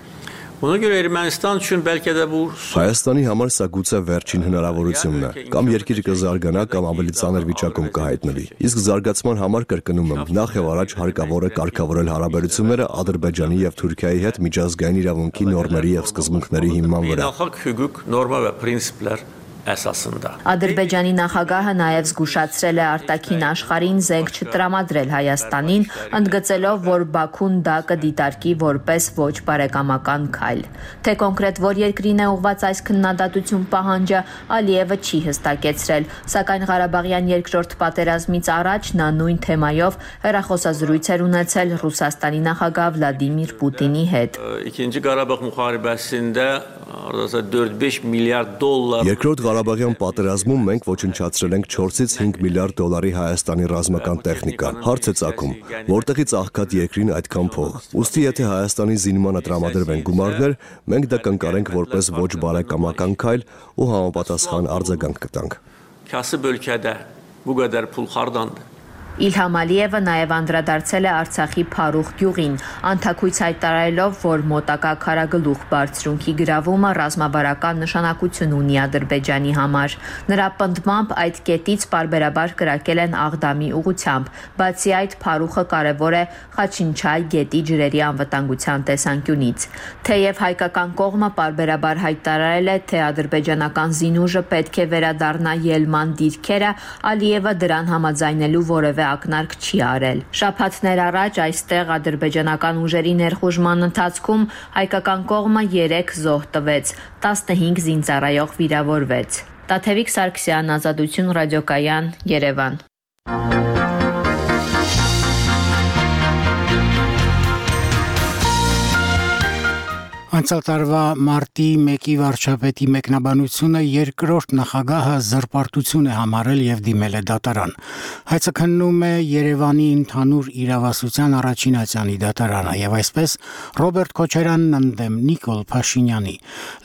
Հայաստանի համար սա գուցե վերջին հնարավորությունն է, կամ երկիրը կզարգանա, կամ ավելի ծանր վիճակում կհայտնվի։ Իսկ զարգացման համար կրկնում եմ, նախ եւ առաջ հարկավոր է կարգավորել հարաբերությունները Ադրբեջանի եւ Թուրքիայի հետ միջազգային իրավունքի նորմերի եւ սկզբունքների հիման վրա։ Ադրբեջանի նախագահը նաև զգուշացրել է արտաքին աշխարհին զենք չտրամադրել Հայաստանին, ընդգծելով, որ Բաքուն դա կդիտարկի որպես ոչ բարեկամական քայլ։ Թե կոնկրետ որ երկրին է ուղղված այս քննադատություն պահանջը, Ալիևը չի հստակեցրել, սակայն Ղարաբաղյան երկրորդ պատերազմից առաջ նա նույն թեմայով հեռախոսազրույց էր ունեցել Ռուսաստանի նախագահ Վլադիմիր Պուտինի հետ։ Երկրորդ Ղարաբաղյան պատերազմում մենք ոչնչացրել ենք 4-ից 5 միլիարդ դոլարի Հայաստանի ռազմական տեխնիկա։ Հարց է ծագում, որտեղից աղքատ երկրին այդքան փող։ Ուստի եթե Հայաստանի զինմանը տրամադրվեն գումարներ, մենք դա կընկալենք որպես ոչ բարեկամական քայլ ու համապատասխան արձագանք կտանք։ Իլհամ Ալիևը նաև անդրադարձել է Արցախի Փարուխ գյուղին, անթաքույց հայտարարելով, որ մոտակա Քարագլուխ բարձրունքի գրավումը ռազմավարական նշանակություն ունի Ադրբեջանի համար։ Նրա պնդմամբ այդ կետից պարբերաբար կրակել են Աղդամի ուղղությամբ, բացի այդ Փարուխը կարևոր է Խաչինչայ գետի ջրերի անվտանգության տեսանկյունից։ Թեև հայկական կողմը պարբերաբար հայտարարել է, թե ադրբեջանական զինուժը պետք է վերադառնա ելման դիրքերը, Ալիևը դրան համաձայնելու որևէ ակնարկ չի արել։ Շաբաթներ առաջ այստեղ ադրբեջանական ուժերի ներխուժման ընթացքում հայկական կողմը 3 զոհ տվեց, 15 զինծառայող վիրավորվեց։ Տաթևիկ Սարգսյան, Ազատություն ռադիոկայան, Երևան։ Անցյալ տարվա մարտի 1-ի վարչապետի մեկնաբանությունը երկրորդ նախագահը զրպարտություն է համարել եւ դիմել է դատարան։ Հայցը քննում է Երևանի ընդհանուր իրավասության առաջին ատյանի դատարանը եւ այսպես Ռոբերտ Քոչարյանն ընդդեմ Նիկոլ Փաշինյանի։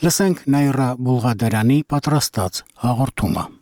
Լսենք Նաիրա Բուլղադարյանի պատրաստած հաղորդումը։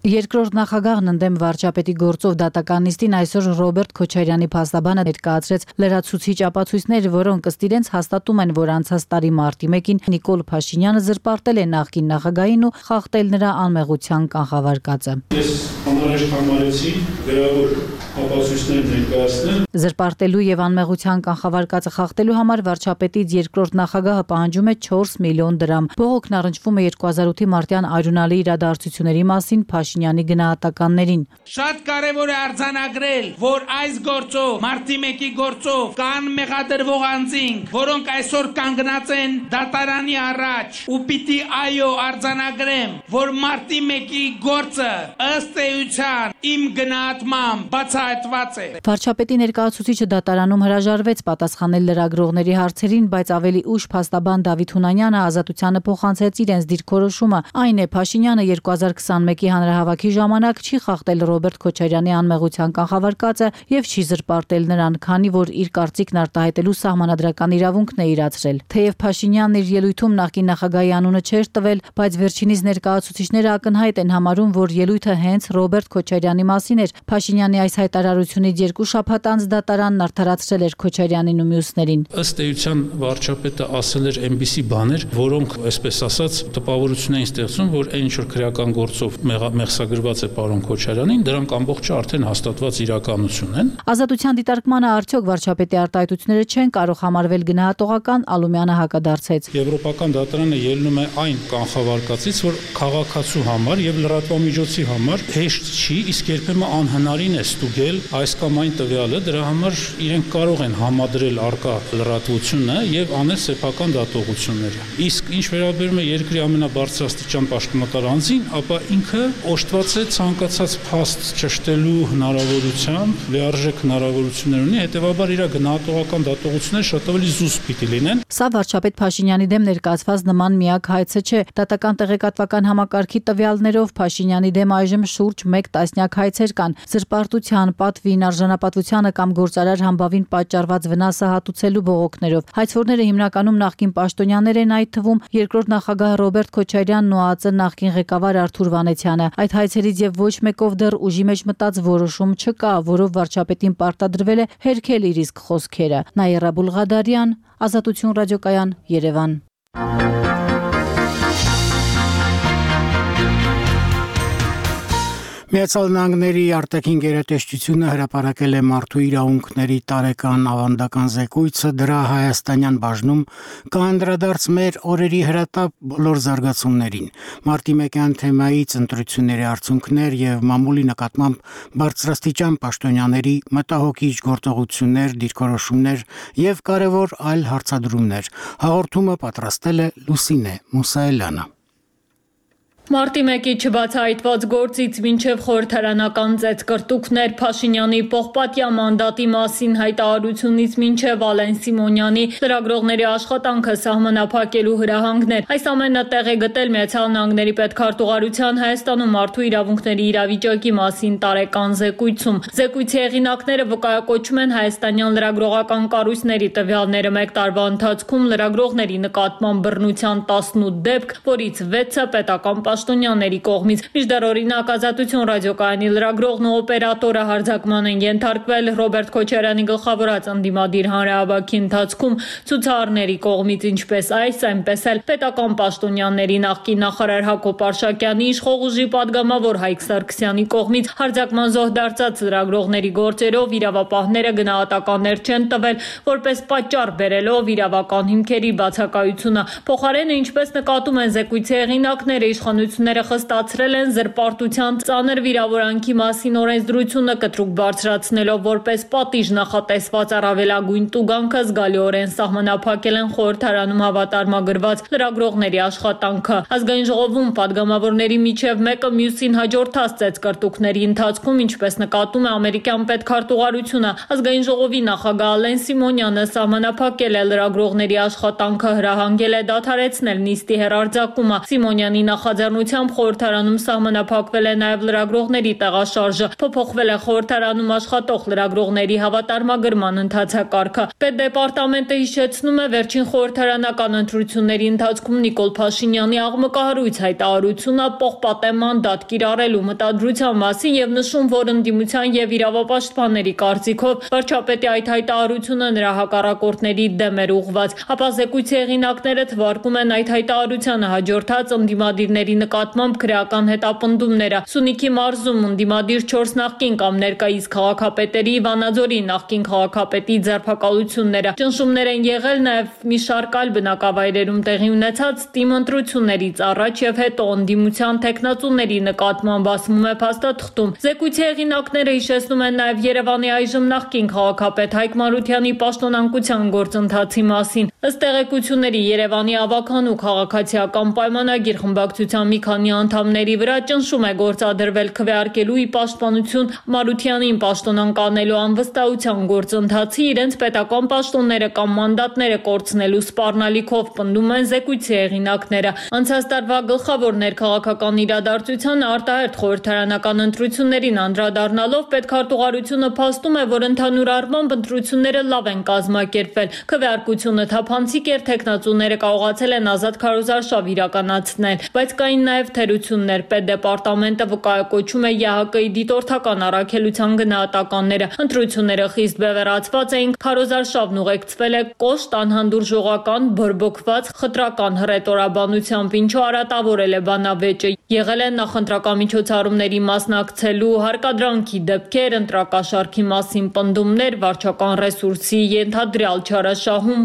Երկրորդ նախագահն ընդդեմ վարչապետի գործով դատական նիստին այսօր Ռոբերտ Քոչարյանի փաստաբանը ներկայացրեց լրացուցիչ ապացույցներ, որոնք ըստ իրենց հաստատում են, որ անցած տարի մարտի 1-ին Նիկոլ Փաշինյանը զրպարտել է նախկին նախագահին ու խախտել նրա անմեղության կանխավարկածը։ Ես անհրաժեշտ համարեցի գրավոր ապացույցներ ներկայացնել։ Զրպարտելու եւ անմեղության կանխավարկածը խախտելու համար վարչապետից երկրորդ նախագահը պահանջում է 4 միլիոն դրամ։ Բողոքն առնչվում է 2008-ի մարտյան արյունալի իրադարձությունների մասին Փաշինյանի գնահատականներին։ Շատ կարևոր է արձանագրել, որ այս գործով, մարտի 1-ի գործով կան մեղադրվող անձինք, որոնք այսօր կանգնած են դատարանի առաջ, ու պիտի այո արձանագրեմ, որ մարտի 1-ի գործը ըստ էության իմ գնահատմամբ բացահայտված է։ Վարչապետի ներկայացուցիչը դատարանում հրաժարվեց պատասխանել լրագրողների հարցերին, բայց ավելի ուշ փաստաբան Դավիթ Հունանյանը Ազատությանը փոխանցեց իրենց դիրքորոշումը։ Այն է, Փաշինյանը 2021-ի հանրահավաքի ժամանակ չի խախտել Ռոբերտ Քոչարյանի անմեղության կանխավարկածը եւ չի զրպարտել նրան, քանի որ իր կարծիքն արտահայտելու սահմանադրական իրավունքն է իրացրել։ Թեև Փաշինյանն իր ելույթում նախկին նախագահի անունը չէր տվել, բայց վերջինիս ներկայացուցիչները ակնհայտ են համարում, որ ելույթը հենց Ռոբերտ Քոչարյանի մասին էր։ Փաշինյանի այս հայտարարությունից 2 շաբաթ անց դատարանն արդարացրել էր Քոչարյանին ու մյուսներին։ Ըստ էության վարչապետը ասել էր այնպիսի բաներ, որոնք, այսպես ասած, տպավորություն էին ստեղծում, որ այն ինչ որ քրեական գործով մեղսագրված է պարոն Քոչարյանին, դրանք ամբողջը արդեն հաստատված իրականություն են։ Ազատության դիտարկմանը արդյոք վարչապետի արտահայտությունները չեն կարող համարվել գնահատողական, Ալումյանը հակադարձեց։ Եվրոպական դատարանը ելնում է այն կանխավարկածից, որ քաղաքացու համար եւ լրատվամիջոցի համար հեշտ չի, իսկ երբեմն անհնարին է ստուգել այս կամ այն տվյալը, դրա համար իրենք կարող են համադրել արկա լրատվությունը եւ անել սեփական դատողությունները։ Իսկ ինչ վերաբերում է երկրի ամենաբարձրաստիճան պաշտոնատար անձին, ապա ինքը ճշտված է ցանկացած փաստ ճշտելու հնարավորությամբ, լիարժեք հնարավորություններ ունի, հետեւաբար իր գնահատողական դատողությունները շատ ավելի զուսպ պիտի լինեն։ Սա վարչապետ Փաշինյանի դեմ ներկայացված նման միակ հայցը չէ։ Դատական տեղեկատվական համակարգի տվյալներով Փաշինյանի դեմ այժմ շուրջ 1 տասնյակ հայցեր կան։ Զրպարտության, պատվին, արժանապատվությանը կամ գործարար համբավին պատճառված վնասը հատուցելու բողոքներով։ Հայցվորները հիմնականում նախկին պաշտոնյաներ են, այդ թվում երկրորդ նախագահ Ռոբերտ Քոչարյանն ու ԱԱԾ նախկին ղեկավար Արթուր Վանեցյանը։ Այդ հայցերից եւ ոչ մեկով դեռ ուժի մեջ մտած որոշում չկա, որով վարչապետին պարտադրվել է հերքել իր իսկ խոսքերը։ Նաիրա Բուլղադարյան, Ազատություն ռադիոկայան, Երևան։ Միացյալ Նահանգների արտաքին գերատեսչությունը հրապարակել է մարդու իրավունքների տարեկան ավանդական զեկույցը, դրա հայաստանյան բաժնում կանդրադարձ մեր օրերի հրատապ բոլոր զարգացումներին, մարտի 1-յան թեմայից ընտրությունների արդյունքներ եւ մամուլի նկատմամբ բարձրաստիճան պաշտոնյաների մտահոգիչ գործողություններ, դիրքորոշումներ եւ կարեւոր այլ հարցադրումներ։ Հաղորդումը պատրաստել է Լուսինե Մուսայելյանը։ Մարտի 1-ի չբացահայտված գործից մինչև խորհրդարանական ծեծկրտուքներ, Փաշինյանի պողպատյա մանդատի մասին հայտարարությունից մինչև Ալեն Սիմոնյանի լրագրողների աշխատանքը սահմանափակելու հրահանգներ։ Այս ամենը տեղ է գտել Միացյալ Նահանգների պետքարտուղարության Հայաստանում մարդու իրավունքների իրավիճակի մասին տարեկան զեկույցում։ Զեկույցի հեղինակները վկայակոչում են հայաստանյան լրագրողական կառույցների տվյալները 1 տարվա ընթացքում լրագրողների նկատմամբ բռնության 18 դեպք, որից 6-ը պետական պաշտոնյաների կողմից։ Մինչդեռ օրինակ Ազատություն ռադիոկայանի լրագրողն ու օպերատորը հարձակման են ենթարկվել Ռոբերտ Քոչարյանի գլխավորած ընդդիմադիր հանրահավաքի ընթացքում ցուցարարների կողմից, ինչպես այս, այնպես էլ պետական պաշտոնյաների նախկին նախարար Հակոբ Արշակյանի, իշխող ուժի падգամավոր Հայկ Սարգսյանի կողմից հարձակման զոհ դարձած լրագրողների գործերով իրավապահները գնահատականներ չեն տվել, որպես պատճառ բերելով իրավական հիմքերի բացակայությունը։ Փոխարենը, ինչպես նկատում են զեկույցի հեղինակները, իշխանությունները խստացրել են զրպարտության ծանր վիրավորանքի մասին օրենսդրությունը կտրուկ բարձրացնելով որպես պատիժ նախատեսված առավելագույն տուգանքը զգալիորեն սահմանափակել են խորհրդարանում հավատարմագրված լրագրողների աշխատանքը։ Ազգային ժողովում падգամավորների միջև մեկը մյուսին հաջորդած ծեծկրտուքների ընթացքում, ինչպես նկատում է ամերիկյան պետքարտուղարությունը, ազգային ժողովի նախագահ Ալեն Սիմոնյանը սահմանափակել է լրագրողների աշխատանքը, հրահանգել է դադարեցնել նիստի հեռարձակումը։ Սիմոնյանի նախաձեռնությամբ խորհրդարանում սահմանափակվել է նաև լրագրողների տեղաշարժը, փոփոխվել է խորհրդարանում աշխատող լրագրողների հավատարմագրման ընթացակարգը։ Պետդեպարտամենտը հիշեցնում է վերջին խորհրդարանական ընտրությունների ընթացքում Նիկոլ Փաշինյանի աղմկահարույց հայտարարությունը պողպատե մանդատ կիրառելու մտադրության մասին եւ նշում, որ ընդդիմության եւ իրավապաշտպանների կարծիքով վարչապետի այդ հայտարարությունը նրա հակառակորդների դեմ էր ուղղված։ Ապա զեկույցի հեղինակները թվարկում են այդ հայտարարությանը հաջորդած ընդդիմադիրների նկատմամբ քրեական հետապնդումները։ Սյունիքի մարզում ընդդիմադիր 4 նախկին կամ ներկայիս քաղաքապետերի, Վանաձորի նախկին քաղաքապետի ձերբակալությունները։ Ճնշումներ են եղել նաև մի շարք այլ բնակավայրերում տեղի ունեցած ՏԻՄ ընտրություններից առաջ եւ հետո ընդդիմության տեխնացուների նկատմամբ, ասում է փաստաթղթում։ Զեկույցի հեղինակները հիշեցնում են նաև Երևանի այժմ նախկին քաղաքապետ Հայկ Մարությանի պաշտոնանկության գործընթացի մասին։ Ըստ տեղեկությունների Երևանի ավականու քաղաքացիական պայմանագիր խմբակցության մի քանի անդամների վրա ճնշում է գործադրվել քվեարկելու ի պաշտպանություն Մարությանին պաշտոնանկանելու անվստահության գործընթացի իրենց պետական պաշտոնները կամ մանդատները կորցնելու սպառնալիքով, պնդում են զեկույցի հեղինակները։ Անցած տարվա գլխավոր ներքաղաքական իրադարձությանը արտահերթ խորհրդարանական ընտրություններին անդրադառնալով պետքարտուղարությունը փաստում է, որ ընդհանուր առմամբ ընտրությունները լավ են կազմակերպվել։ Քվեարկությունը թափանցիկ էր, տեխնացուները կարողացել են ազատ քարոզարշավ իրականացնել, բայց կային նաև թերություններ։ Պետդեպարտամենտը վկայակոչում է ԵՀԿ-ի դիտորդական առաքելության գնահատականները։ Ընտրությունները խիստ բևեռացված էին, քարոզարշավն ուղեկցվել է կոշտ, անհանդուրժողական, բորբոքված, խտրական հռետորաբանությամբ, ինչը արատավորել է բանավեճը։ Եղել են նախընտրական միջոցառումների մասնակցելու հարկադրանքի դեպքեր, ընտրակաշառքի մասին պնդումներ, վարչական ռեսուրսի ենթադրյալ չարաշահում։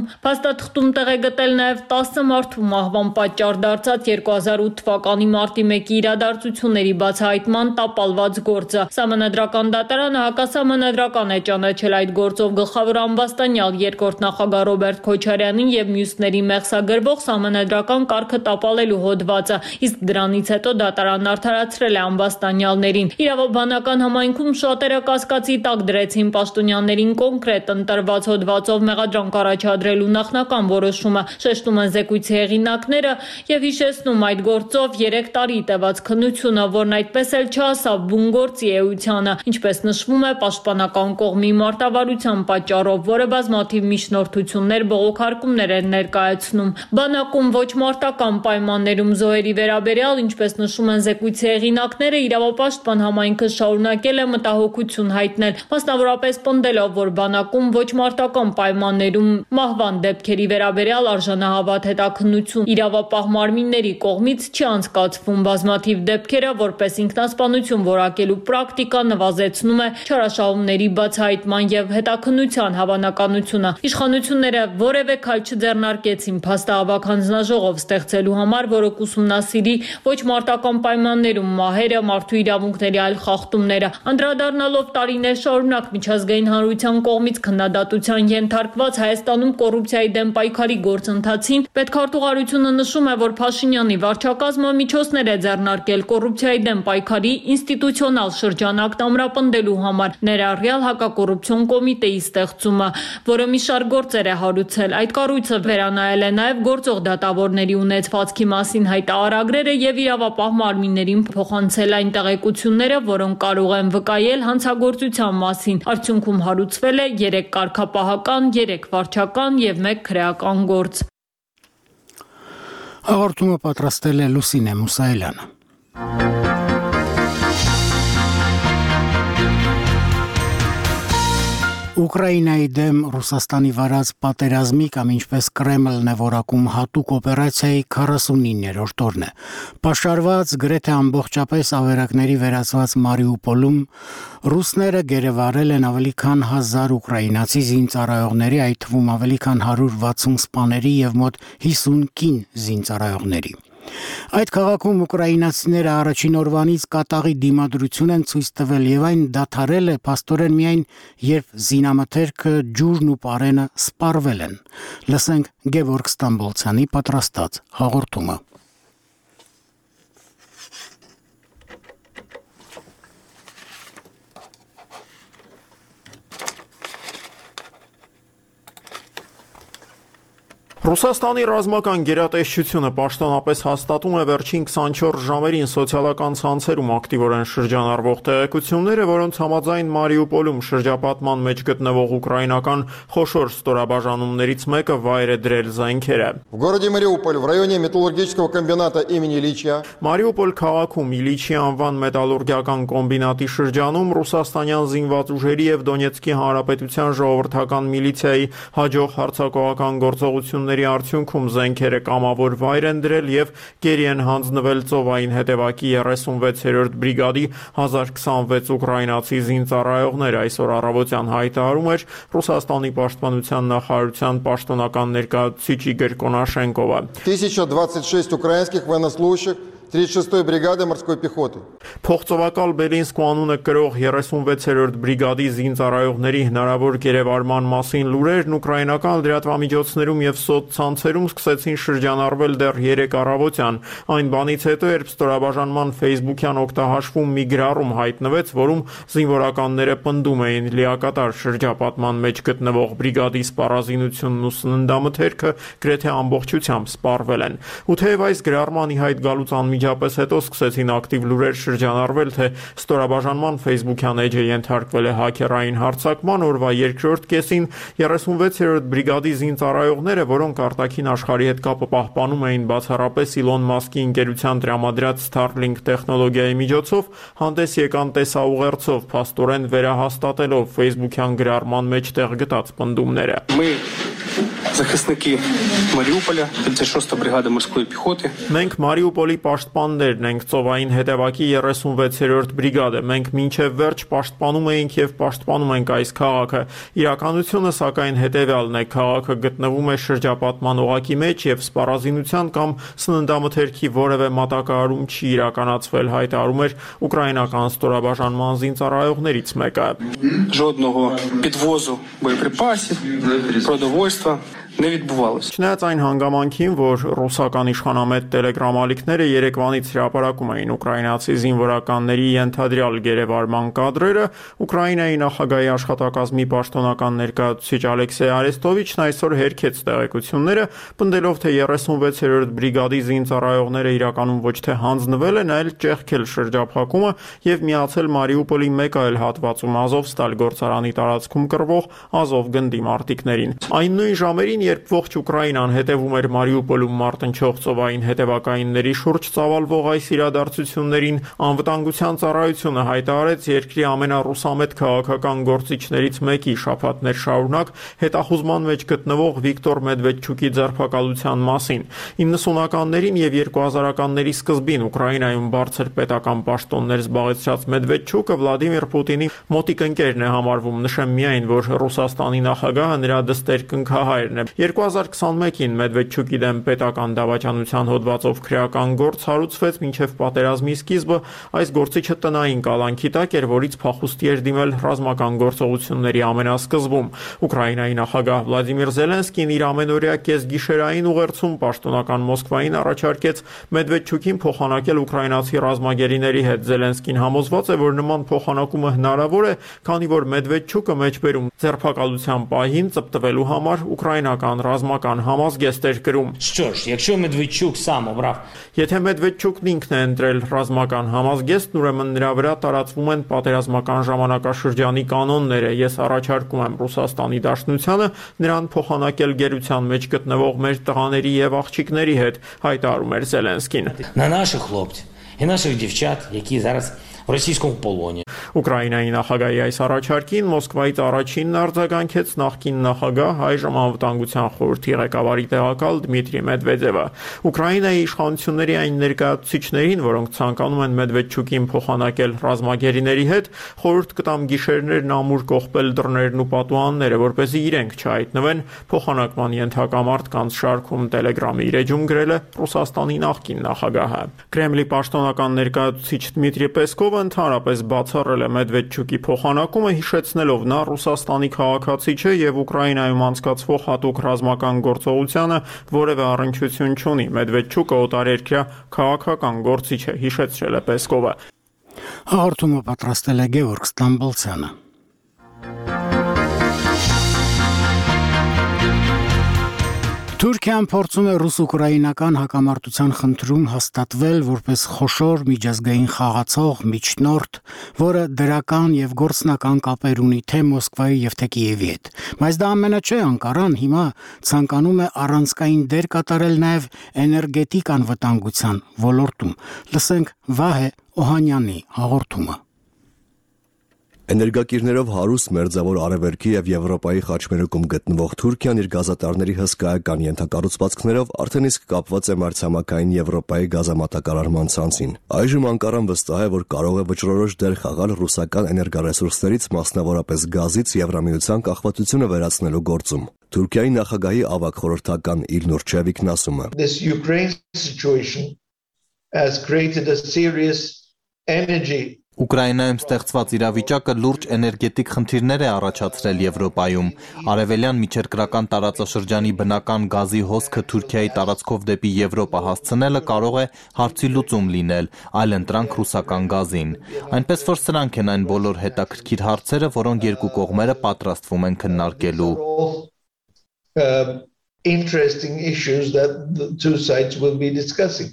թղթում տեղ է գտել նաև 10 մարդու մահվան պատճառ դարձած 2008 թվականի մարտի 1-ի իրադարձությունների բացահայտման տապալված գործը։ Սահմանադրական դատարանը հակասահմանադրական է ճանաչել այդ գործով գլխավոր ամբաստանյալ երկրորդ նախագահ Ռոբերտ Քոչարյանին եւ մյուսների մեղսագրվող սահմանադրական կարգը տապալելու հոդվածը, իսկ դրանից հետո դատարանն արդարացրել է ամբաստանյալներին։ Իրավաբանական համայնքում շատերը կասկածի տակ դրեցին պաշտոնյաներին կոնկրետ ընտրված հոդվածով մեղադրանք առաջադրելու նախնական որոշումը, շեշտում են զեկույցի հեղինակները եւ հիշեցնում այդ գործով 3 տարի տևած քննությունը, որն այդպես էլ չհասավ բուն գործի էությանը, ինչպես նշվում է պաշտպանական կողմի մարտավարության պատճառով, որը բազմաթիվ միջնորդություններ, բողոքարկումներ են ներկայացնում։ Բանակում ոչ մարտական պայմաններում զոհերի վերաբերյալ, ինչպես նշում են զեկույցի հեղինակները, իրավապաշտպան համայնքը շարունակել է մտահոգություն հայտնել, մասնավորապես պնդելով, որ բանակում ոչ մարտական պայմաններում մահվան դեպքերի վերաբերյալ արժանահավատ հետաքննություն իրավապահ մարմինների կողմից չի անցկացվում։ Բազմաթիվ դեպքերը որպես ինքնասպանություն որակելու պրակտիկա նվազեցնում է չարաշահումների բացահայտման եւ հետաքննության հավանականությունը։ Իշխանությունները որևէ քայլ չձեռնարկեցին փաստահավաք հանձնաժողով ստեղծելու համար, որը կուսումնասիրի ոչ մարտական պայմաններում մահերը, մարդու իրավունքների այլ խախտումները։ Անդրադառնալով տարիներ շարունակ միջազգային հանրության կողմից քննադատության ենթարկված Հայաստանում կոռուպցիայի դեմ պայքարի գործընթացին, պետքարտուղարությունը նշում է, որ Փաշինյանի վարչակազմը միջոցներ է ձեռնարկել կոռուպցիայի դեմ պայքարի ինստիտուցիոնալ շրջանակ ամրապնդելու համար, ներառյալ հակակոռուպցիոն կոմիտեի ստեղծումը, որը մի շարք գործեր է հարուցել։ Այդ կառույցը վերանայել է նաև գործող դատավորների ունեցվածքի մասին հայտարարագրերը եւ իրավապահ մարմիններին փոխանցել այն տեղեկությունները, որոնք կարող են վկայել հանցագործության մասին։ Արդյունքում հարուցվել է 3 կարգապահական, 3 վարչական եւ 1 քրեական գործ։ Հաղորդումը պատրաստել է Լուսինե Մուսայելյանը։ Ուկրաինայի դեմ Ռուսաստանի վարած պատերազմի կամ ինչպես Կրեմլն է որակում հատուկ օպերացիայի 49-րդ օրն է։ Պաշարված գրեթե ամբողջապես ավերակների վերածված Մարիուպոլում ռուսները գերեվարել են ավելի քան 1000 ուկրաինացի զինծառայողների, այդ թվում ավելի քան 160 սպաների եւ մոտ 50 կին զինծառայողների։ Այդ քաղաքում ուկրաինացիները առաջին օրվանից կատաղի դիմադրություն են ցույց տվել եւ այն դադարել է փաստորեն միայն երբ զինամթերքը, ջուրն ու պարենը սպառվել են։ Լսենք Գևորգ Ստամբոլցյանի պատրաստած հաղորդումը։ Ռուսաստանի ռազմական գերատեսչությունը պաշտոնապես հաստատում է վերջին 24 ժամերին սոցիալական ցանցերում ակտիվորեն շրջանառվող տեղեկությունները, որոնց համաձայն Մարիուպոլում շրջապատման մեջ գտնվող ուկրաինական խոշոր ստորաբաժանումներից մեկը վայր է դրել զենքերը։ В городе Мариуполь, в районе металлургического комбината имени Ильича Մարիուպոլ քաղաքում Իլիչի անվան մետալուրգիական կոմբինատի շրջանում ռուսաստանյան զինված ուժերի եւ Դոնեցկի հանրապետության ժողովրդական միլիցիայի հաջող հարձակողական գործողությունների արդյունքում զենքերը կամավոր վայր են դրել եւ գերի են հանձնվել ծովային հետևակի 36-րդ բրիգադի 1026 ուկրաինացի զինծառայողներ, այսօր առավոտյան հայտարարում էր Ռուսաստանի պաշտպանության նախարարության պաշտոնական ներկայացուցիչ Իգոր Կոնաշենկովը։ 1026 украинских военнослужащих 36-й бригады морской пехоты։ Փոխծովակալ Բելինսկու անունը կրող 36-րդ բրիգադի զինծառայողների հնարավոր գերեվարման մասին լուրերն ուկրաինական լրատվամիջոցներում եւ սոցցանցերում սկսեցին շրջանառվել դեռ 3 առավոտյան։ Այն բանից հետո, երբ ստորաբաժանման Facebook-յան օգտահաշվում մի գրառում հայտնվեց, որում զինվորականները պնդում էին լիակատար շրջապատման մեջ գտնվող բրիգադի սպառազինությունն ու սննդամթերքը գրեթե ամբողջությամբ սպառվել են։ Ու թեև այս գրառման ի հայտ գալուց Միջապես հետո սկսեցին ակտիվ լուրեր շրջանառվել, թե ստորաբաժանման Facebook-յան էջը ենթարկվել է հաքերային հարձակման, օրվա երկրորդ կեսին 36-րդ բրիգադի զինծառայողները, որոնք արտաքին աշխարհի հետ կապը պահպանում էին բացառապես Իլոն Մասկի ընկերության տրամադրած Starlink տեխնոլոգիայի միջոցով, հանդես եկան տեսաուղերձով, փաստորեն վերահաստատելով Facebook-յան գրառման մեջ տեղ գտած պնդումները։ захисники Маріуполя, 36-та бригада морської піхоти. Մենք Մարիուպոլի պաշտպաններն ենք, ծովային հետևակի 36-րդ բրիգադը։ Մենք մինչև վերջ պաշտպանում էինք եւ պաշտպանում ենք այս քաղաքը։ Իրականությունը սակայն հետեւյալն է. քաղաքը գտնվում է շրջապատման օղակի մեջ եւ սպառազինության կամ սննդամթերքի որևէ մատակարարում չի իրականացվել, հայտարարում էր ուկրաինական ստորաբաժանման զինծառայողներից մեկը։ Жодного підвозу боєприпасів, продовольства не відбувалося. Չնայած այն հանգամանքին, որ ռուսական իշխանամետ տելեգրամ ալիքները երեկվանից հրապարակում էին ուկրաինացի զինվորականների ենթադրյալ գերեվարման կադրերը, Ուկրաինայի նախագահի աշխատակազմի պաշտոնական ներկայացուցիչ Ալեքսեյ Արեստովիչն այսօր հերքեց տեղեկությունները, պնդելով, թե 36-րդ բրիգադի զինծառայողները իրականում ոչ թե հանձնվել են, այլ ճեղքել շրջափակումը եւ միացել Մարիուպոլի մեկ այլ հատվածում Ազովստալ գործարանի տարածքում կռվող Ազով գնդի մարտիկներին։ Այն նույն ժամերին, երբ ողջ Ուկրաինան հետևում էր Մարիուպոլում մարտնչող ծովային հետևակայինների շուրջ ծավալվող այս իրադարձություններին, անվտանգության ծառայությունը հայտարարեց երկրի ամենառուսամետ քաղաքական գործիչներից մեկի շաբաթներ շարունակ հետախուզման մեջ գտնվող Վիկտոր Մեդվեդչուկի ձերբակալության մասին։ 90-ականներին եւ 2000-ականների սկզբին Ուկրաինայում բարձր պետական պաշտոններ զբաղեցրած Մեդվեդչուկը Վլադիմիր Պուտինի մոտիկ ընկերն է համարվում։ Նշեմ միայն, որ Ռուսաստանի նախագահը նրա դստեր կնքահայրն է։ 2021-ին Մեդվեդչուկի դեմ պետական դավաճանության հոդվածով քրեական գործ հարուցվեց մինչև պատերազմի սկիզբը։ Այս գործիչը տնային կալանքի տակ էր, որից փախուստի էր դիմել ռազմական գործողությունների ամենասկզբում։ Ուկրաինայի նախագահ Վլադիմիր Զելենսկին իր ամենօրյա կեսգիշերային ուղերձում պաշտոնական Մոսկվային առաջարկեց Մեդվեդչուկին փոխանակել ուկրաինացի ռազմագերիների հետ։ Զելենսկին համոզված է, որ նման փոխանակումը հնարավոր է, քանի որ Մեդվեդչուկը մեջբերում ձերբակալության պահին ծպտվելու համար ուկրաինական ռազմական համազգեստ էր գրում։ Եթե Մեդվեդչուկն ինքն է ընտրել ռազմական համազգեստն, ուրեմն նրա վրա տարածվում են պատերազմական ժամանակաշրջանի կանոնները։ Ես առաջարկում եմ Ռուսաստանի Դաշնությանը նրան փոխանակել գերության մեջ գտնվող մեր տղաների եւ աղջիկների հետ, հայտարարում էր Զելենսկին։ На наших хлопців і наших дівчат, які зараз в російському полоні. Ուկրաինայի նախագահի այս առաջարկին Մոսկվայից առաջինն արձագանքեց նախկին նախագահ այժմ անվտանգության խորհրդի ղեկավարի տեղակալ Դմիտրի Մեդվեդևը։ Ուկրաինայի իշխանությունների այն ներկայացուցիչներին, որոնք ցանկանում են Մեդվեդչուկին փոխանակել ռազմագերիների հետ, խորհուրդ կտամ գիշերներն ամուր կողպել դռներն ու պատուհանները, որպեսզի իրենք չհայտնվեն փոխանակման ենթակա մարդկանց շարքում, Տելեգրամի իր էջում գրել է Ռուսաստանի նախկին նախագահը։ Կրեմլի պաշտոնական ներկայացուցիչ Դմիտրի Պեսկովը ընդհանրապես բացառել է Մեդվեդչուկի փոխանակումը, հիշեցնելով նա Ռուսաստանի քաղաքացի չէ եւ Ուկրաինայում անցկացվող հատուկ ռազմական գործողությանը որևէ առնչություն չունի։ Մեդվեդչուկը օտարերկրյա քաղաքական գործիչ է, հիշեցրել է Պեսկովը։ Հաղորդումը պատրաստել է Գևորգ Ստամբոլցյանը։ Թուրքիան փորձում է ռուս-ուկրաինական հակամարտության խնդրում հաստատվել որպես խոշոր միջազգային խաղացող միջնորդ, որը դրական եւ գործնական կապեր ունի թե Մոսկվայի եւ թե Կիևի հետ։ Բայց դա ամենը չէ, Անկարան հիմա ցանկանում է առանցքային դեր կատարել նաեւ էներգետիկ անվտանգության ոլորտում։ Լսենք Վահե Օհանյանի հաղորդումը։ Էներգակիրներով հարուստ մերձավոր Արևելքի եւ Եվրոպայի խաչմերուկում գտնվող Թուրքիան իր գազատարների հսկայական ենթակառուցվածքներով արդեն իսկ կապված է մայրցամաքային Եվրոպայի գազամատակարարման ցանցին։ Այժմ Անկարան վստահ է, որ կարող է վճռորոշ դեր խաղալ ռուսական էներգառեսուրսներից, մասնավորապես գազից Եվրամիության կախվածությունը վերացնելու գործում։ Թուրքիայի նախագահի ավագ խորհրդական Իլնուր Չևիկն ասում է. This Ukraine situation has created a serious energy Ուկրաինայում ստեղծված իրավիճակը լուրջ էներգետիկ խնդիրներ է առաջացրել Եվրոպայում։ Արևելյան միջերկրական տարածաշրջանի բնական գազի հոսքը Թուրքիայի տարածքով դեպի Եվրոպա հասցնելը կարող է հարցի լուծում լինել, այլընտրանք ռուսական գազին։ Այնպես որ սրանք են այն բոլոր հետաքրքիր հարցերը, որոնք երկու կողմերը պատրաստվում են քննարկելու։ Interesting issues that the two sides will be discussing.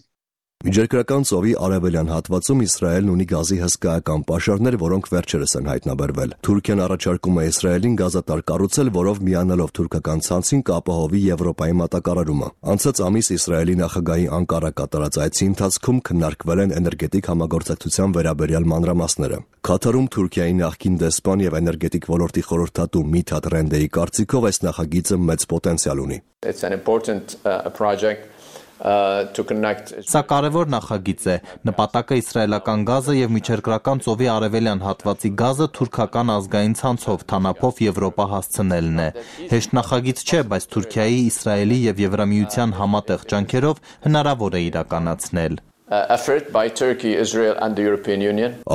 Միջերկրական ծովի արևելյան հատվածում Իսրայելն ունի գազի հսկայական պաշարներ, որոնք վերջերս են հայտնաբերվել։ Թուրքիան առաջարկում է Իսրայելին գազատար կառուցել, որով միանալով թուրքական ցանցին կապահովի Եվրոպայի մատակարարումը։ Անցած ամիս Իսրայելի նախագահի Անկարա կատարած այցի ընթացքում քննարկվել են էներգետիկ համագործակցության վերաբերյալ մանրամասները։ Քաթարում Թուրքիայի նախկին դեսպան եւ էներգետիկ ոլորտի խորհրդատու Միթաթ Ռենդեի կարծիքով այս նախագիծը մեծ պոտենցիալ ունի։ Սա կարևոր նախագիծ է։ Նպատակը իսրայելական գազը եւ միջերկրական ծովի արևելյան հատվածի գազը թուրքական ազգային ցանցով թանապով Եվրոպա հասցնելն է։ Հեշտ նախագիծ չէ, բայց Թուրքիայի, Իսրայելի եւ Եվրամիության համատեղ ջանքերով հնարավոր է իրականացնել։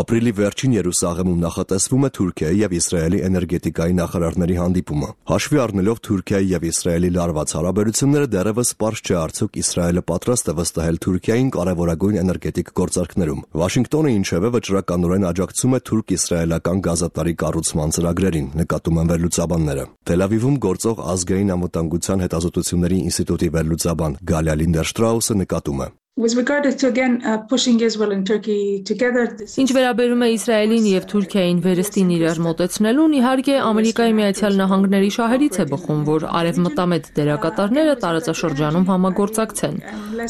Ապրիլի վերջին Երուսաղեմում նախատեսվում է Թուրքիայի եւ Իսրայելի էներգետիկայի նախարարների հանդիպումը։ Հաշվի առնելով Թուրքիայի եւ Իսրայելի լարված հարաբերությունները, դեռևս պարզ չէ արդյոք Իսրայելը պատրաստ է վստահել Թուրքիային կարևորագույն էներգետիկ գործարքներում։ Վաշինգտոնը ինչևէ վճռականորեն աջակցում է թուրք-իսրայելական գազատարի կառուցման ծրագրերին, նկատում են վերլուծաբանները։ Թել Ավիվում գործող ազգային անվտանգության հետազոտությունների ինստիտուտի վերլուծաբան Գալիա Լինդերշտրաուսը նկատում է. Ինչ վերաբերում է Իսրայելին եւ Թուրքիային վերստին իրար մոտեցնելուն, իհարկե Ամերիկայի Միացյալ Նահանգների շահերից է բխում, որ արևմտամետ դերակատարները տարածաշրջանում համագործակցեն։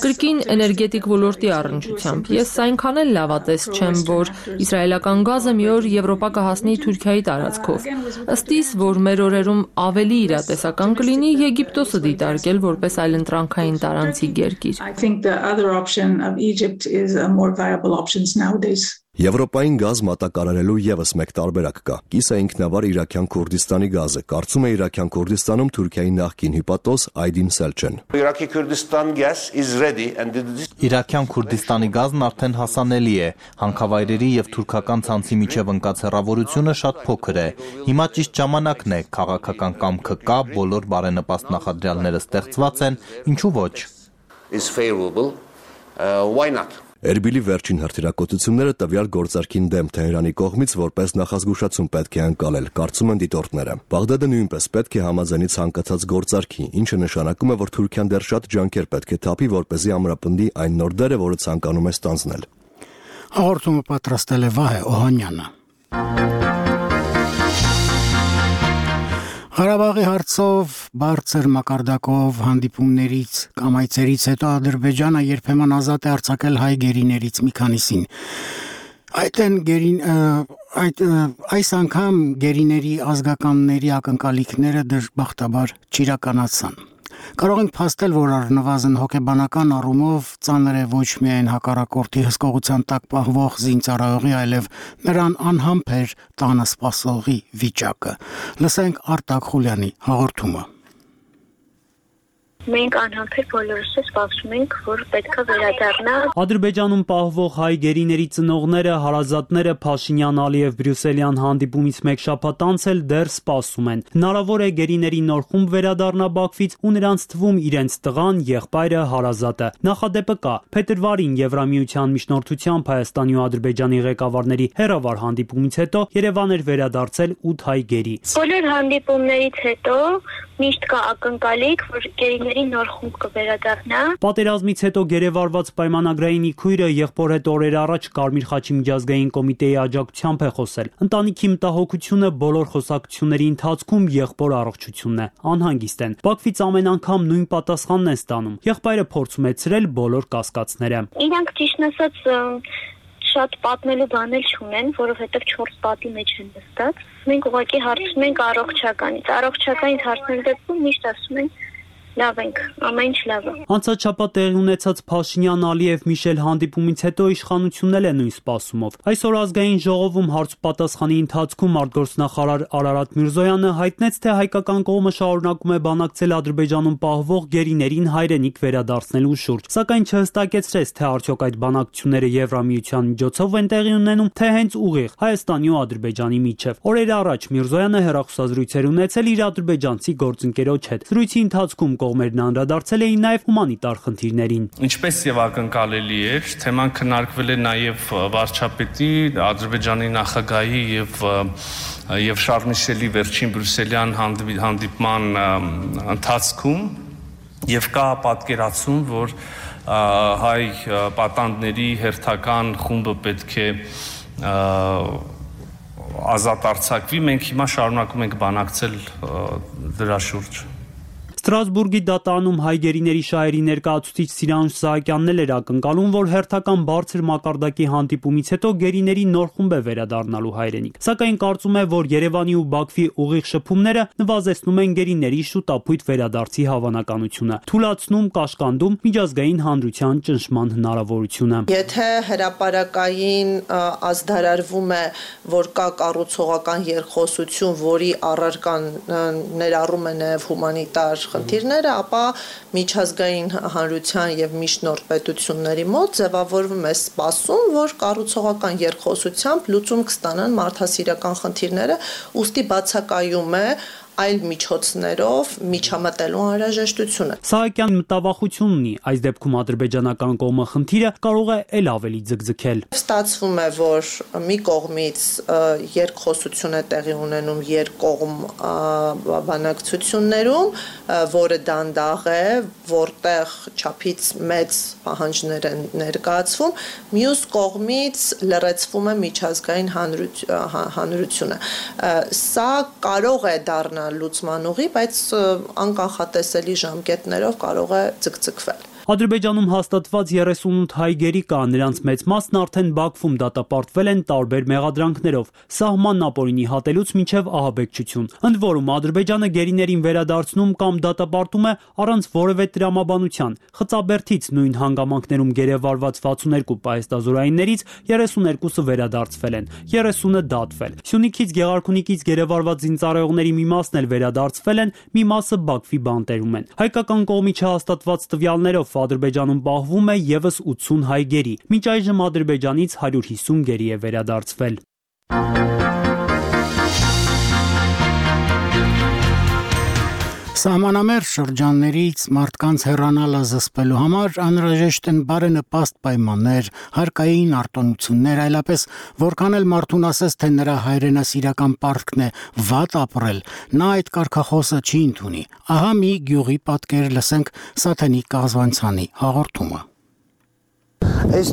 Կրկին էներգետիկ ոլորտի առնչությամբ ես այնքան էլ լավատես չեմ, որ իսրայելական գազը մի օր Եվրոպա կհասնի Թուրքիայի տարածքով։ Ըստ իս, որ մեր օրերում ավելի իրատեսական կլինի Եգիպտոսը դիտարկել որպես այլընտրանքային տարանցիկ երկիր։ Option of Egypt is a more viable option nowadays. Եվրոպային գազ մատակարարելու եւս մեկ տարբերակ կա։ Կիսա ինքնավար Իրաքյան Քուրդիստանի գազը։ Կարծում է Իրաքյան Քուրդիստանում Թուրքիայի նախկին հյուպատոս Այդին Սելչեն։ Իրաքյան Քուրդիստանի գազն արդեն հասանելի է։ Հանքավայրերի եւ թուրքական ցանցի միջև ընկած հեռավորությունը շատ փոքր է։ Հիմա ճիշտ ժամանակն է, քաղաքական կամքը կա, բոլոր բարենպաստ նախադրյալները ստեղծված են, ինչու ոչ։ Why not? Էրբիլի վերջին հրթիռակոծությունները տվյալ գործարքին դեմ Թեհրանի կողմից որպես նախազգուշացում պետք է անցալել, կարծում են դիտորդները։ Բաղդադը նույնպես պետք է համաձայնի ցանկացած գործարքի, ինչը նշանակում է, որ Թուրքիան դեռ շատ ջանքեր պետք է թափի, որպեսզի ամրապնդի այն նոր դերը, որը ցանկանում է ստանձնել։ Հաղորդումը պատրաստել է Վահե Օհանյանը։ Ղարաբաղի հարցով բարձր մակարդակով հանդիպումներից կամ այցերից հետո Ադրբեջանը երբեմն ազատ է արձակել հայ գերիներից մի քանիսին։ Այս անգամ գերիների ազգականների ակնկալիքները դժբախտաբար չիրականացան։ Կարող ենք փաստել, որ առնվազն հոգեբանական առումով ծանր է ոչ միայն հակառակորդի հսկողության տակ պահվող զինծառայողի, այլև նրան անհամբեր տանը սպասողի վիճակը։ Լսենք Արտակ Խուլյանի հաղորդումը։ Մենք անհամբեր բոլորս սպասում ենք, որ պետքա վերադառնա։ Ադրբեջանում պահվող հայ գերիների ծնողները, հարազատները Փաշինյան-Ալիև բրյուսելյան հանդիպումից մեկ շաբաթ անց էլ դեռ սպասում են։ Հնարավոր է գերիների նոր խումբ վերադառնա Բաքվից ու նրանց թվում իրենց տղան, եղբայրը, հարազատը։ Նախադեպը կա։ Փետրվարին Եվրամիության միջնորդությամբ Հայաստանի ու Ադրբեջանի ղեկավարների հերավար հանդիպումից հետո Երևան էր վերադարձել 8 հայ գերի։ Բոլոր հանդիպումներից հետո միշտ կա ակնկալիք, որ գերիների նոր խումբ կվերադառնա։ Պատերազմից հետո գերեվարված պայմանագրային իքույրը եղբոր հետ օրեր առաջ Կարմիր խաչի միջազգային կոմիտեի աջակցությամբ է խոսել։ Ընտանիքի մտահոգությունը բոլոր խոսակցությունների ընթացքում եղբոր առողջությունն է, անհանգիստ են։ Բաքվից ամեն անգամ նույն պատասխանն են ստանում։ Եղբայրը փորձում է ցրել բոլոր կասկածները։ Իրանք ճիշտ ասած շատ պատմելու բաներ չունեն, որովհետև 4 պատի մեջ են նստած։ Մենք ուղղակի հարցնում ենք առողջականից։ Առողջականից հարցնելու դեպքում միշտ ասում են լավ ենք, ամեն ինչ լավ է։ Անցած շաբաթ տեղի ունեցած Փաշինյան-Ալիև Միշել հանդիպումից հետո իշխանությունն էլ է նույն սպասումով։ Այսօր ազգային ժողովում հարց-պատասխանի ընթացքում արտգործնախարար Արարատ Միրզոյանը հայտնեց, թե հայկական կողմը շարունակում է բանակցել Ադրբեջանում պահվող գերիներին հայրենիք վերադարձնելու շուրջ, սակայն չհստակեցրեց, թե արդյոք այդ բանակցությունները Եվրամիության միջոցով են տեղի ունենում, թե հենց ուղիղ Հայաստանի ու Ադրբեջանի միջև։ Օրեր առաջ Միրզոյանը հեռախոսազրույցեր ունեցել իր ադրբեջանցի գործընկերոջ հետ։ Զրույցի ընթացքում կողմերն անդրադարձել էին նաև հումանիտար խնդիրներին։ Ինչպես եւ ակնկալելի էր, թեման քննարկվել է նաև վարչապետի, Ադրբեջանի նախագահի եւ Շարլ Միշելի վերջին բրյուսելյան հանդիպման ընթացքում եւ կա պատկերացում, որ հայ պատանդների հերթական խումբը պետք է ազատ արձակվի, մենք հիմա շարունակում ենք բանակցել դրա շուրջ։ Ստրասբուրգի դատարանում հայ գերիների շահերի ներկայացուցիչ Սիրանուշ Սահակյանն էր ակնկալում, որ հերթական բարձր մակարդակի հանդիպումից հետո գերիների նոր խումբ է վերադառնալու հայրենիք։ Սակայն կարծում է, որ Երևանի ու Բաքվի ուղիղ շփումները նվազեցնում են գերիների շուտապույտ վերադարձի հավանականությունը, թուլացնում, կաշկանդում միջազգային հանրության ճնշման հնարավորությունը։ Եթե հրապարակային ազդարարվում է, որ կա կառուցողական երկխոսություն, որի առարկան ներառում է նաև հումանիտար խնդիրները, ապա միջազգային հանրության եւ միջնորդ պետությունների մոտ ձևավորվում է սպասում, որ կառուցողական երկխոսությամբ լուծում կստանան մարդասիրական խնդիրները, ուստի բացակայում է այլ միջոցներով միջամտելու անհրաժեշտությունը։ Սահակյան մտավախություն ունի, այս դեպքում ադրբեջանական կողմը խնդիրը կարող է ել ավելի ձգձգել։ Ստացվում է, որ մի կողմից երկխոսություն է տեղի ունենում երկկողմ բանակցություններում, որը դանդաղ է, որտեղ չափից մեծ պահանջներ են ներկայացվում, մյուս կողմից լրացվում է միջազգային հանրությունը։ Սա կարող է դառնալ լուծման ուղի, բայց անկանխատեսելի ժամկետներով կարող է ձգձգվել։ Ադրբեջանում հաստատված 38 հայ գերի կա, նրանց մեծ մասն արդեն Բաքվում դատապարտվել են տարբեր մեղադրանքներով, սահմանն ապօրինի հատելուց մինչև ահաբեկչություն։ Ընդ որում Ադրբեջանը գերիներին վերադարձնում կամ դատապարտում է առանց որևէ տրամաբանության։ Խծաբերդից նույն հանգամանքներում գերեվարված 62 պահեստազորայիններից 32-ը վերադարձվել են, 30-ը դատվել։ Սյունիքից, Գեղարքունիքից գերեվարված զինծառայողների մի մասն էլ վերադարձվել են, մի մասը Բաքվի բանտերում են։ Հայկական կողմի չհաստատված տվյալներով Ադրբեջանում պահվում է եւս 80 հայ գերի։ Մինչ այժմ Ադրբեջանից 150 գերի է վերադարձվել։ Սահմանամերձ շրջաններից մարդկանց հեռանալը զսպելու համար անհրաժեշտ են բարենպաստ պայմաններ, հարկային արտոնություններ, այլապես որքան էլ մարդուն ասես, թե նրա հայրենասիրական պարտքն է վատ ապրել, նա այդ կարգախոսը չի ընդունի։ Ահա մի գյուղի պատկեր լսենք Սաթենիկ Կազվանցյանի հաղորդումը։ Այս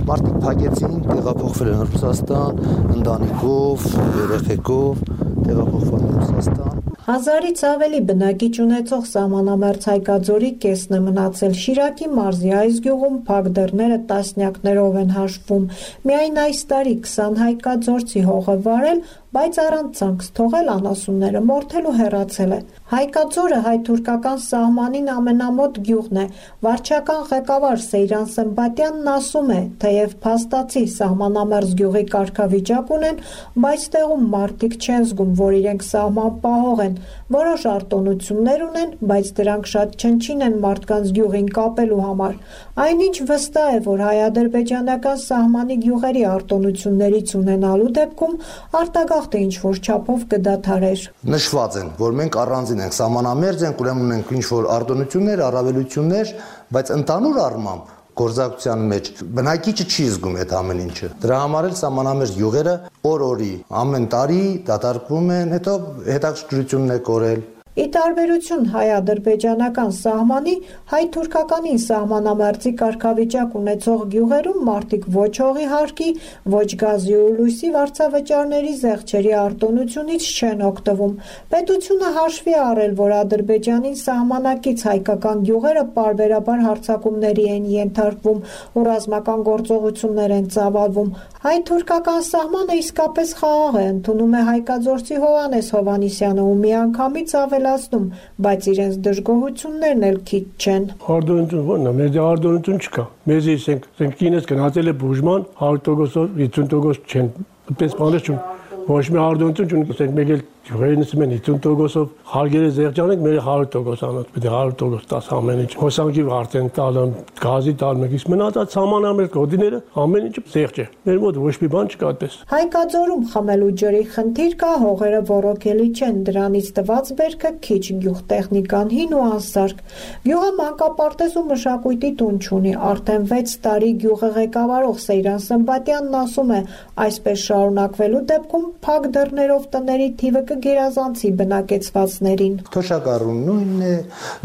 մարդիկ փակեցին, տեղափոխվել են Ռուսաստան, ընտանիքով, երեխեքով, տեղափոխվել են Ռուսաստան։ 1000-ից ավելի բնակիչ ունեցող սահմանամերձ Հայկաձորի կեսն է մնացել։ Շիրակի մարզի այս գյուղում փակ դռները տասնյակներով են հաշվում։ Միայն այս տարի 20 հայկաձորցի հող է վարել, բայց առանց ցանց թողել անասունները մորթել ու հեռացել է։ Հայկաձորը հայ-թուրքական սահմանին ամենամոտ գյուղն է։ Վարչական ղեկավար Սեյրան Սմբատյանն ասում է, թեև փաստացի սահմանամերձ գյուղի կարգավիճակ ունեն, բայց տեղում մարդիկ չեն զգում, որ իրենք սահմանպահող են։ Որոշ արտոնություններ ունեն, բայց դրանք շատ չնչին են մարդկանց գյուղին կապելու համար։ Այնինչ վստահ է, որ հայ-ադրբեջանական սահմանի գյուղերի արտոնություններից ունենալու դեպքում արտագաղթը ինչ-որ չափով կդադարեր։ Նշված են, որ մենք առանձին ենք, սահմանամերձ ենք, ուրեմն ունենք ինչ-որ արտոնություններ, առավելություններ, բայց ընդհանուր առմամբ գործակցության մեջ բնակիչը չի զգում այդ ամեն ինչը։ Դրա համար էլ սահմանամերձ գյուղերը օր-օրի ամեն տարի դատարկվում են, հետո հետաքրքրությունն է կորել։ Ի տարբերություն հայ-ադրբեջանական սահմանի, հայ-թուրքականին սահմանամերձի կարգավիճակ ունեցող գյուղերում մարդիկ ոչ հողի հարկի, ոչ գազի ու լույսի վարձավճարների զեղչերի արտոնությունից չեն օգտվում։ Պետությունը հաշվի առել, որ Ադրբեջանին սահմանակից հայկական գյուղերը պարբերաբար հարձակումների են ենթարկվում ու ռազմական գործողություններ են ծավալվում։ Հայ-թուրքական սահմանը իսկապես խաղաղ է, ընդունում է հայկաձորցի Հովհաննես Հովհաննիսյանը ու միանգամից ավելացնում, բայց իրենց դժգոհություններն էլ քիչ չեն։ Արտոնություն ո՞րն է, մեր արտոնություն չկա։ Մեզ ասենք կինս գնացել է բուժման 100%-ով 50% չեն, այդպես բաներ չուն։ Ոչ մի արտոնություն չունենք, ասենք մեկ էլ գյուղերից մեն 50%-ով հարգերը զեղչանենք, մեր 100% անած, պետք է 100% տաս ամեն ինչ։ Հոսանքի վարձ են տալը, գազի տալը, իսկ մնացած սահմանամերձ գոտիները ամեն ինչը զեղչ է։ Մեր մոտ ոչ մի բան չկա այդպես։ Հայկաձորում խմելու ջրի խնդիր կա, հողերը ոռոգելի չեն, դրանից տված բերքը քիչ, գյուղտեխնիկան հին ու անսարք։ Գյուղը մանկապարտեզ ու մշակույթի տուն չունի, արդեն 6 տարի գյուղը ղեկավարող Սեյրան Սմբատյանն ասում է, այսպես շարունակվելու դեպքում փակ դռներով տների թիվը կգերազանցի բնակեցվածներին։ Թոշակառուն նույնն է,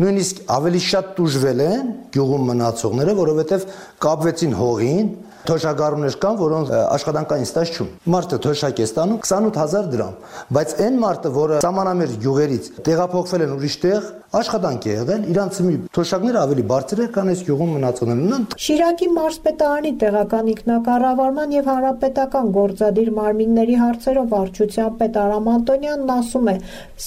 նույնիսկ ավելի շատ տուժվել են գյուղում մնացողները, որովհետև կապվեցին հողին, թոշակառուներ կան, որոնց աշխատանքային ստաժ չունի։ Մարդը թոշակ է ստանում 28000 դրամ, բայց այն մարդը, որը սահմանամերձ գյուղերից տեղափոխվել են ուրիշ տեղ, աշխատանք է եղել, իրանց թոշակները ավելի բարձր է, քան այս գյուղում մնացողներն։ Շիրակի մարզպետարանի տեղական ինքնակառավարման եւ հանրապետական գործադիր մարմինների հարցերով վարչության պետ Արամ Անտոնյանն ասում է,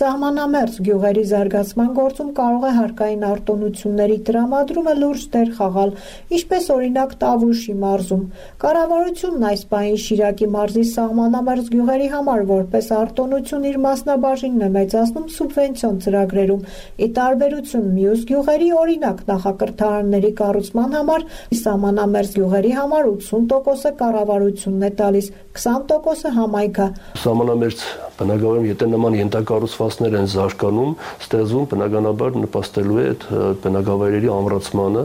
սահմանամերձ գյուղերի զարգացման գործում կարող է հարկային արտոնությունների տրամադրումը լուրջ դեր խաղալ, ինչպես օրինակ Տավուշի մարզում։ Կառավարությունն այս պահին Շիրակի մարզի սահմանամերձ գյուղերի համար որպես արտոնություն իր մասնաբաժինն է մեծացնում սուբվենցիոն ծրագրերում։ Ի տարբերություն մյուս գյուղերի, օրինակ նախակրթարանների կառուցման համար սահմանամերձ գյուղերի համար 80%-ը կառավարությունն է տալիս, 20%-ը համայնքը։ Սահմանամերձ բնակավայրում եթե նման ենթակառուցվածքներ են զարգանում, ստեղծվում բնականաբար նպաստելու է այդ բնակավայրերի ամրացմանը,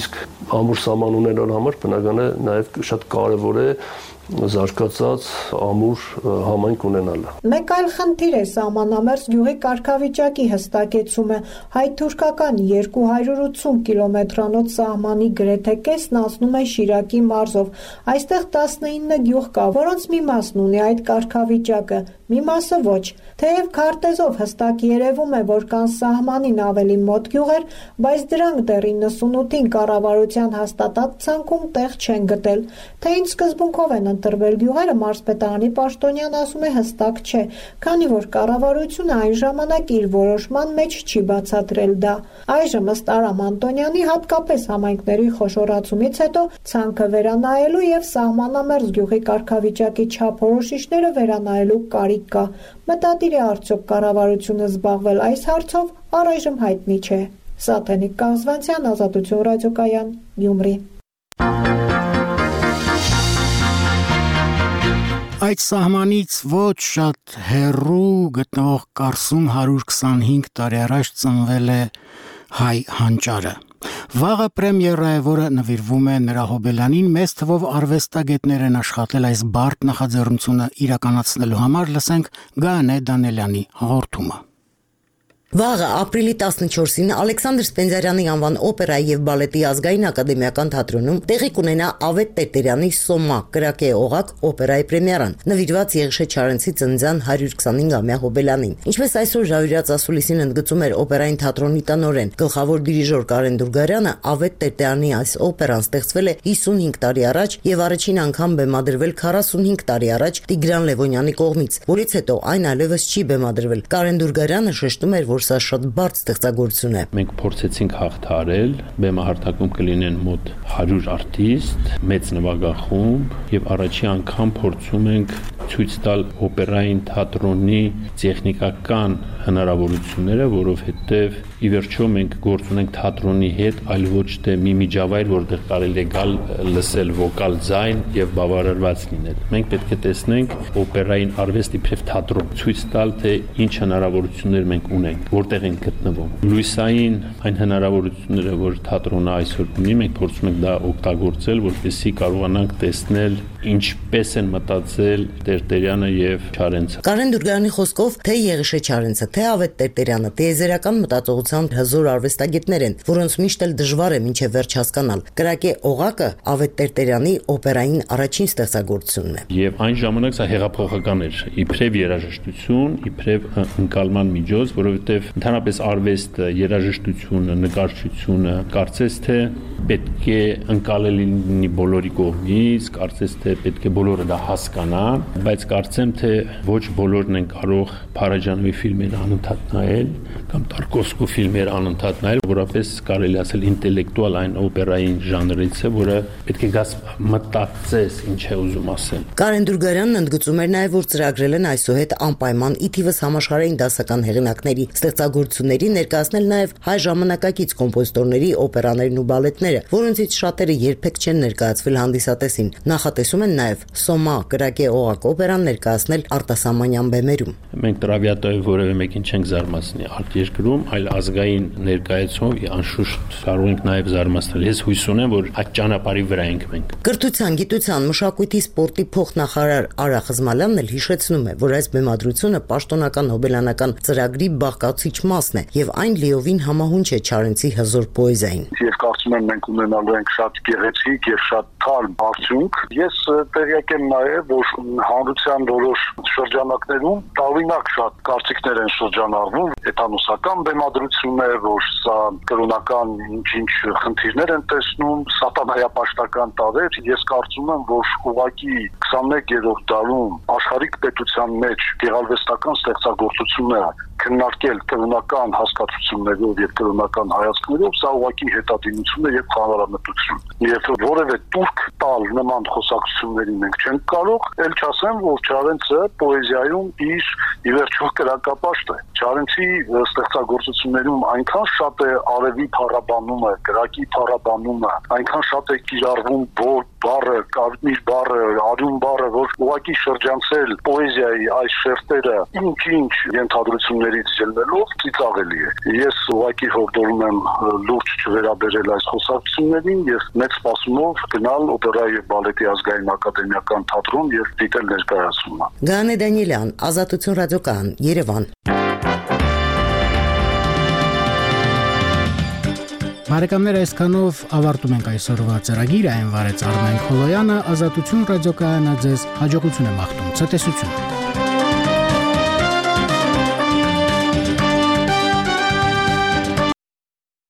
իսկ ամուր սահման ունենալու համար բնական է նաև շատ կարևոր է զարգացած ամուր համայնք ունենալը։ Մեկ այլ խնդիր է սահմանամերձ գյուղի կարգավիճակի հստակեցումը։ Հայ-թուրքական 280 կիլոմետրանոց սահմանի գրեթե կեսն անցնում է Շիրակի մարզով։ Այստեղ 19 գյուղ կա, որոնց մի մասն ունի այդ կարգավիճակը, մի մասը ոչ։ Թեև քարտեզով հստակ երևում է, որ կան սահմանին ավելի մոտ գյուղեր, բայց դրանք դեռ 98-ին կառավարության հաստատած ցանկում տեղ չեն գտել։ Թե ինչ սկզբունքով են ընտրվել գյուղերը, մարզպետարանի պաշտոնյան ասում է հստակ չէ, քանի որ կառավարությունը այն ժամանակ իր որոշման մեջ չի բացատրել դա։ Այժմ ըստ Արամ Անտոնյանի հատկապես համայնքների խոշորացումից հետո ցանկը վերանայելու եւ սահմանամերձ գյուղի կարգավիճակի չափորոշիչները վերանայելու կարիք կա։ Մտադիր է արդյոք կառավարությունը զբաղվել այս հարցով, առայժմ հայտնի չէ։ Սաթենիկ Կազվանցյան, Ազատություն ռադիոկայան, Գյումրի։ Այդ սահմանից ոչ շատ հեռու գտնվող Կարսում 125 տարի առաջ ծնվել է հայ հանճարը։ Վաղը պրեմիերա է, որը նվիրվում է նրա հոբելյանին, մեծ թվով արվեստագետներ են աշխատել այս բարդ նախաձեռնությունը իրականացնելու համար, լսենք Գայանե Դանելյանի հաղորդումը։ Վաղը ապրիլի 14-ին Ալեքսանդր Սպենդիարյանի անվան օպերայի եւ բալետի ազգային ակադեմիական թատրոնում տեղի կունենա Ավետ Տերտերյանի Սոմա կրակե օղակ օպերայի պրեմիերան, նվիրված Եղիշե Չարենցի ծննդյան 125-ամյա հոբելյանին։ Ինչպես այսօր Ժավիրյաց ասուլիսին ընդգծում էր օպերային թատրոնի տնօրեն, գլխավոր դիրիժոր Կարեն Դուրգարյանը, Ավետ Տերտերյանի այս օպերան ստեղծվել է 55 տարի առաջ եւ առաջին անգամ բեմադրվել 45 տարի առաջ Տիգրան Լևոնյանի կողմից, որից հետո այն այլևս չի բեմադրվել։ Կարեն Դուրգարյանը շեշտում էր, որ սա շատ բարդ ստեղծագործություն է։ Մենք փորձեցինք հաղթարել, բեմահարտակում կլինեն մոտ 100 արտիստ, մեծ նվագախումբ եւ առաջի անգամ փորձում ենք ցույց տալ օպերային թատրոնի տեխնիկական հնարավորությունները, որովհետեւ ի վերջո մենք գործ ունենք թատրոնի հետ, այլ ոչ թե մի միջավայր, որտեղ կարելի է գալ լսել վոկալ ձայն եւ բավարարված լինել։ Մենք պետք է տեսնենք օպերային արվեստ իբրև թատրոն, ցույց տալ, թե ինչ հնարավորություններ մենք ունենք, որտեղ ենք գտնվում։ Լույսային այն հնարավորությունները, որ թատրոնը այսօր ունի, մենք փորձում ենք դա օգտագործել, որպեսզի կարողանանք տեսնել ինչպես են մտածել Տերտերյանը եւ Չարենցը։ Կարեն Դուրգարյանի խոսքով, թե Եղիշե Չարենցը, թե Ավետ Տերտերյանը, տիեզերական մտածողության հզոր արվեստագետներ են, որոնց միշտ էլ դժվար է մինչև վերջ հասկանալ։ Կրակե օղակը Ավետ Տերտերյանի օպերային առաջին ստեղծագործությունն է։ Եվ այն ժամանակ սա հեղափոխական էր, իբրև երաժշտություն, իբրև ընկալման միջոց, որովհետեւ ընդհանրապես արվեստը, երաժշտությունը, նկարչությունը, կարծես թե պետք է ընկալելի լինի բոլորի կողմից, կարծես թե պետք է բոլորը դա հասկանան, բայց կարծեմ թե ոչ բոլորն են կարող Փարաջանովի ֆիլմերը անընդհատ նայել կամ Տարկովսկու ֆիլմերը անընդհատ նայել, որապես կարելի ասել ինտելեկտուալ այն օպերային ժանրից է, որը պետք է գաս մտածես ինչ է ուզում ասել։ Կարեն Դուրգարյանն ընդգծում էր նաև, որ ծրագրել են այսուհետ անպայման ի թիվս համաշխարհային դասական հեղինակների ստեղծագործությունների ներկայացնել նաև հայ ժամանակակից կոմպոզիտորների օպերաներն ու բալետները, որոնցից շատերը երբեք չեն ներկայացվել հանդիսատեսին։ Նախատեսում փորձում են նաև Սոմա կրակե օղակ օպերան ներկայացնել արտասահմանյան բեմերում։ Մենք տրավիատոյով որևէ մեկին չենք զարմացնի արտերկրում, այլ ազգային ներկայացումով անշուշտ կարող ենք նաև զարմացնել։ Ես հույս ունեմ, որ այդ ճանապարհի վրա ենք մենք։ Կրթության, գիտության, մշակույթի, սպորտի փոխնախարար Արա Խզմալյանն էլ հիշեցնում է, որ այս բեմադրությունը պաշտոնական հոբելյանական ծրագրի բաղկացիչ մասն է եւ այն լիովին համահունչ է Չարենցի հզոր պոեզիային։ Ես կարծում եմ մենք ունենալու ենք շատ գեղեցիկ եւ շատ թարմ արդյունք։ Ես տեղյակ եմ նաեւ, որ հանրության որոշ շրջանակներում տարօրինակ շատ կարծիքներ են շրջանառվում, էտանոսական բեմադրություններ, որ սա կրոնական ինչ-ինչ խնդիրներ են տեսնում, սատանայապաշտական տարեր։ Ես կարծում եմ, որ ուղղակի 21-րդ դարում աշխարհիկ պետության մեջ գեղարվեստական ստեղծագործությունները քննարկել կրոնական հասկացություններով եւ կրոնական հայացքներով, սա ուղղակի հետադիմություն է եւ խանարամտություն։ Եվ որևէ տուրք տալ նման խոսակցությունների մենք չենք կարող, ել չասեմ, որ Չարենցը պոեզիայում իր ի վերջո կրակապաշտ է։ Չարենցի ստեղծագործություններում այնքան շատ է արևի փառաբանումը, կրակի փառաբանումը, այնքան շատ է կիրառվում բառը, կարմիր բառը, արյուն բառը, որ ուղղակի շրջանցել պոեզիայի այս շերտերը ինչ-ինչ ենթադրություններից ելնելով ծիծաղելի է։ Ես ուղղակի հորդորում եմ լուրջ չվերաբերել այս խոսակցություններին եւ մեծ սպասումով գնալ օպերայի եւ բալետի ազգային ակադեմիական թատրոն եւ դիտել ներկայացումը։ Գանե Դանիելյան, Ազատություն ռադիոկայան, Երևան։ Բարեկամներ, այսքանով ավարտում ենք այսօրվա ծրագիրը, այն վարեց Արմեն Խոլոյանը, Ազատություն ռադիոկայանը ձեզ հաջողություն է մաղթում, ցտեսություն։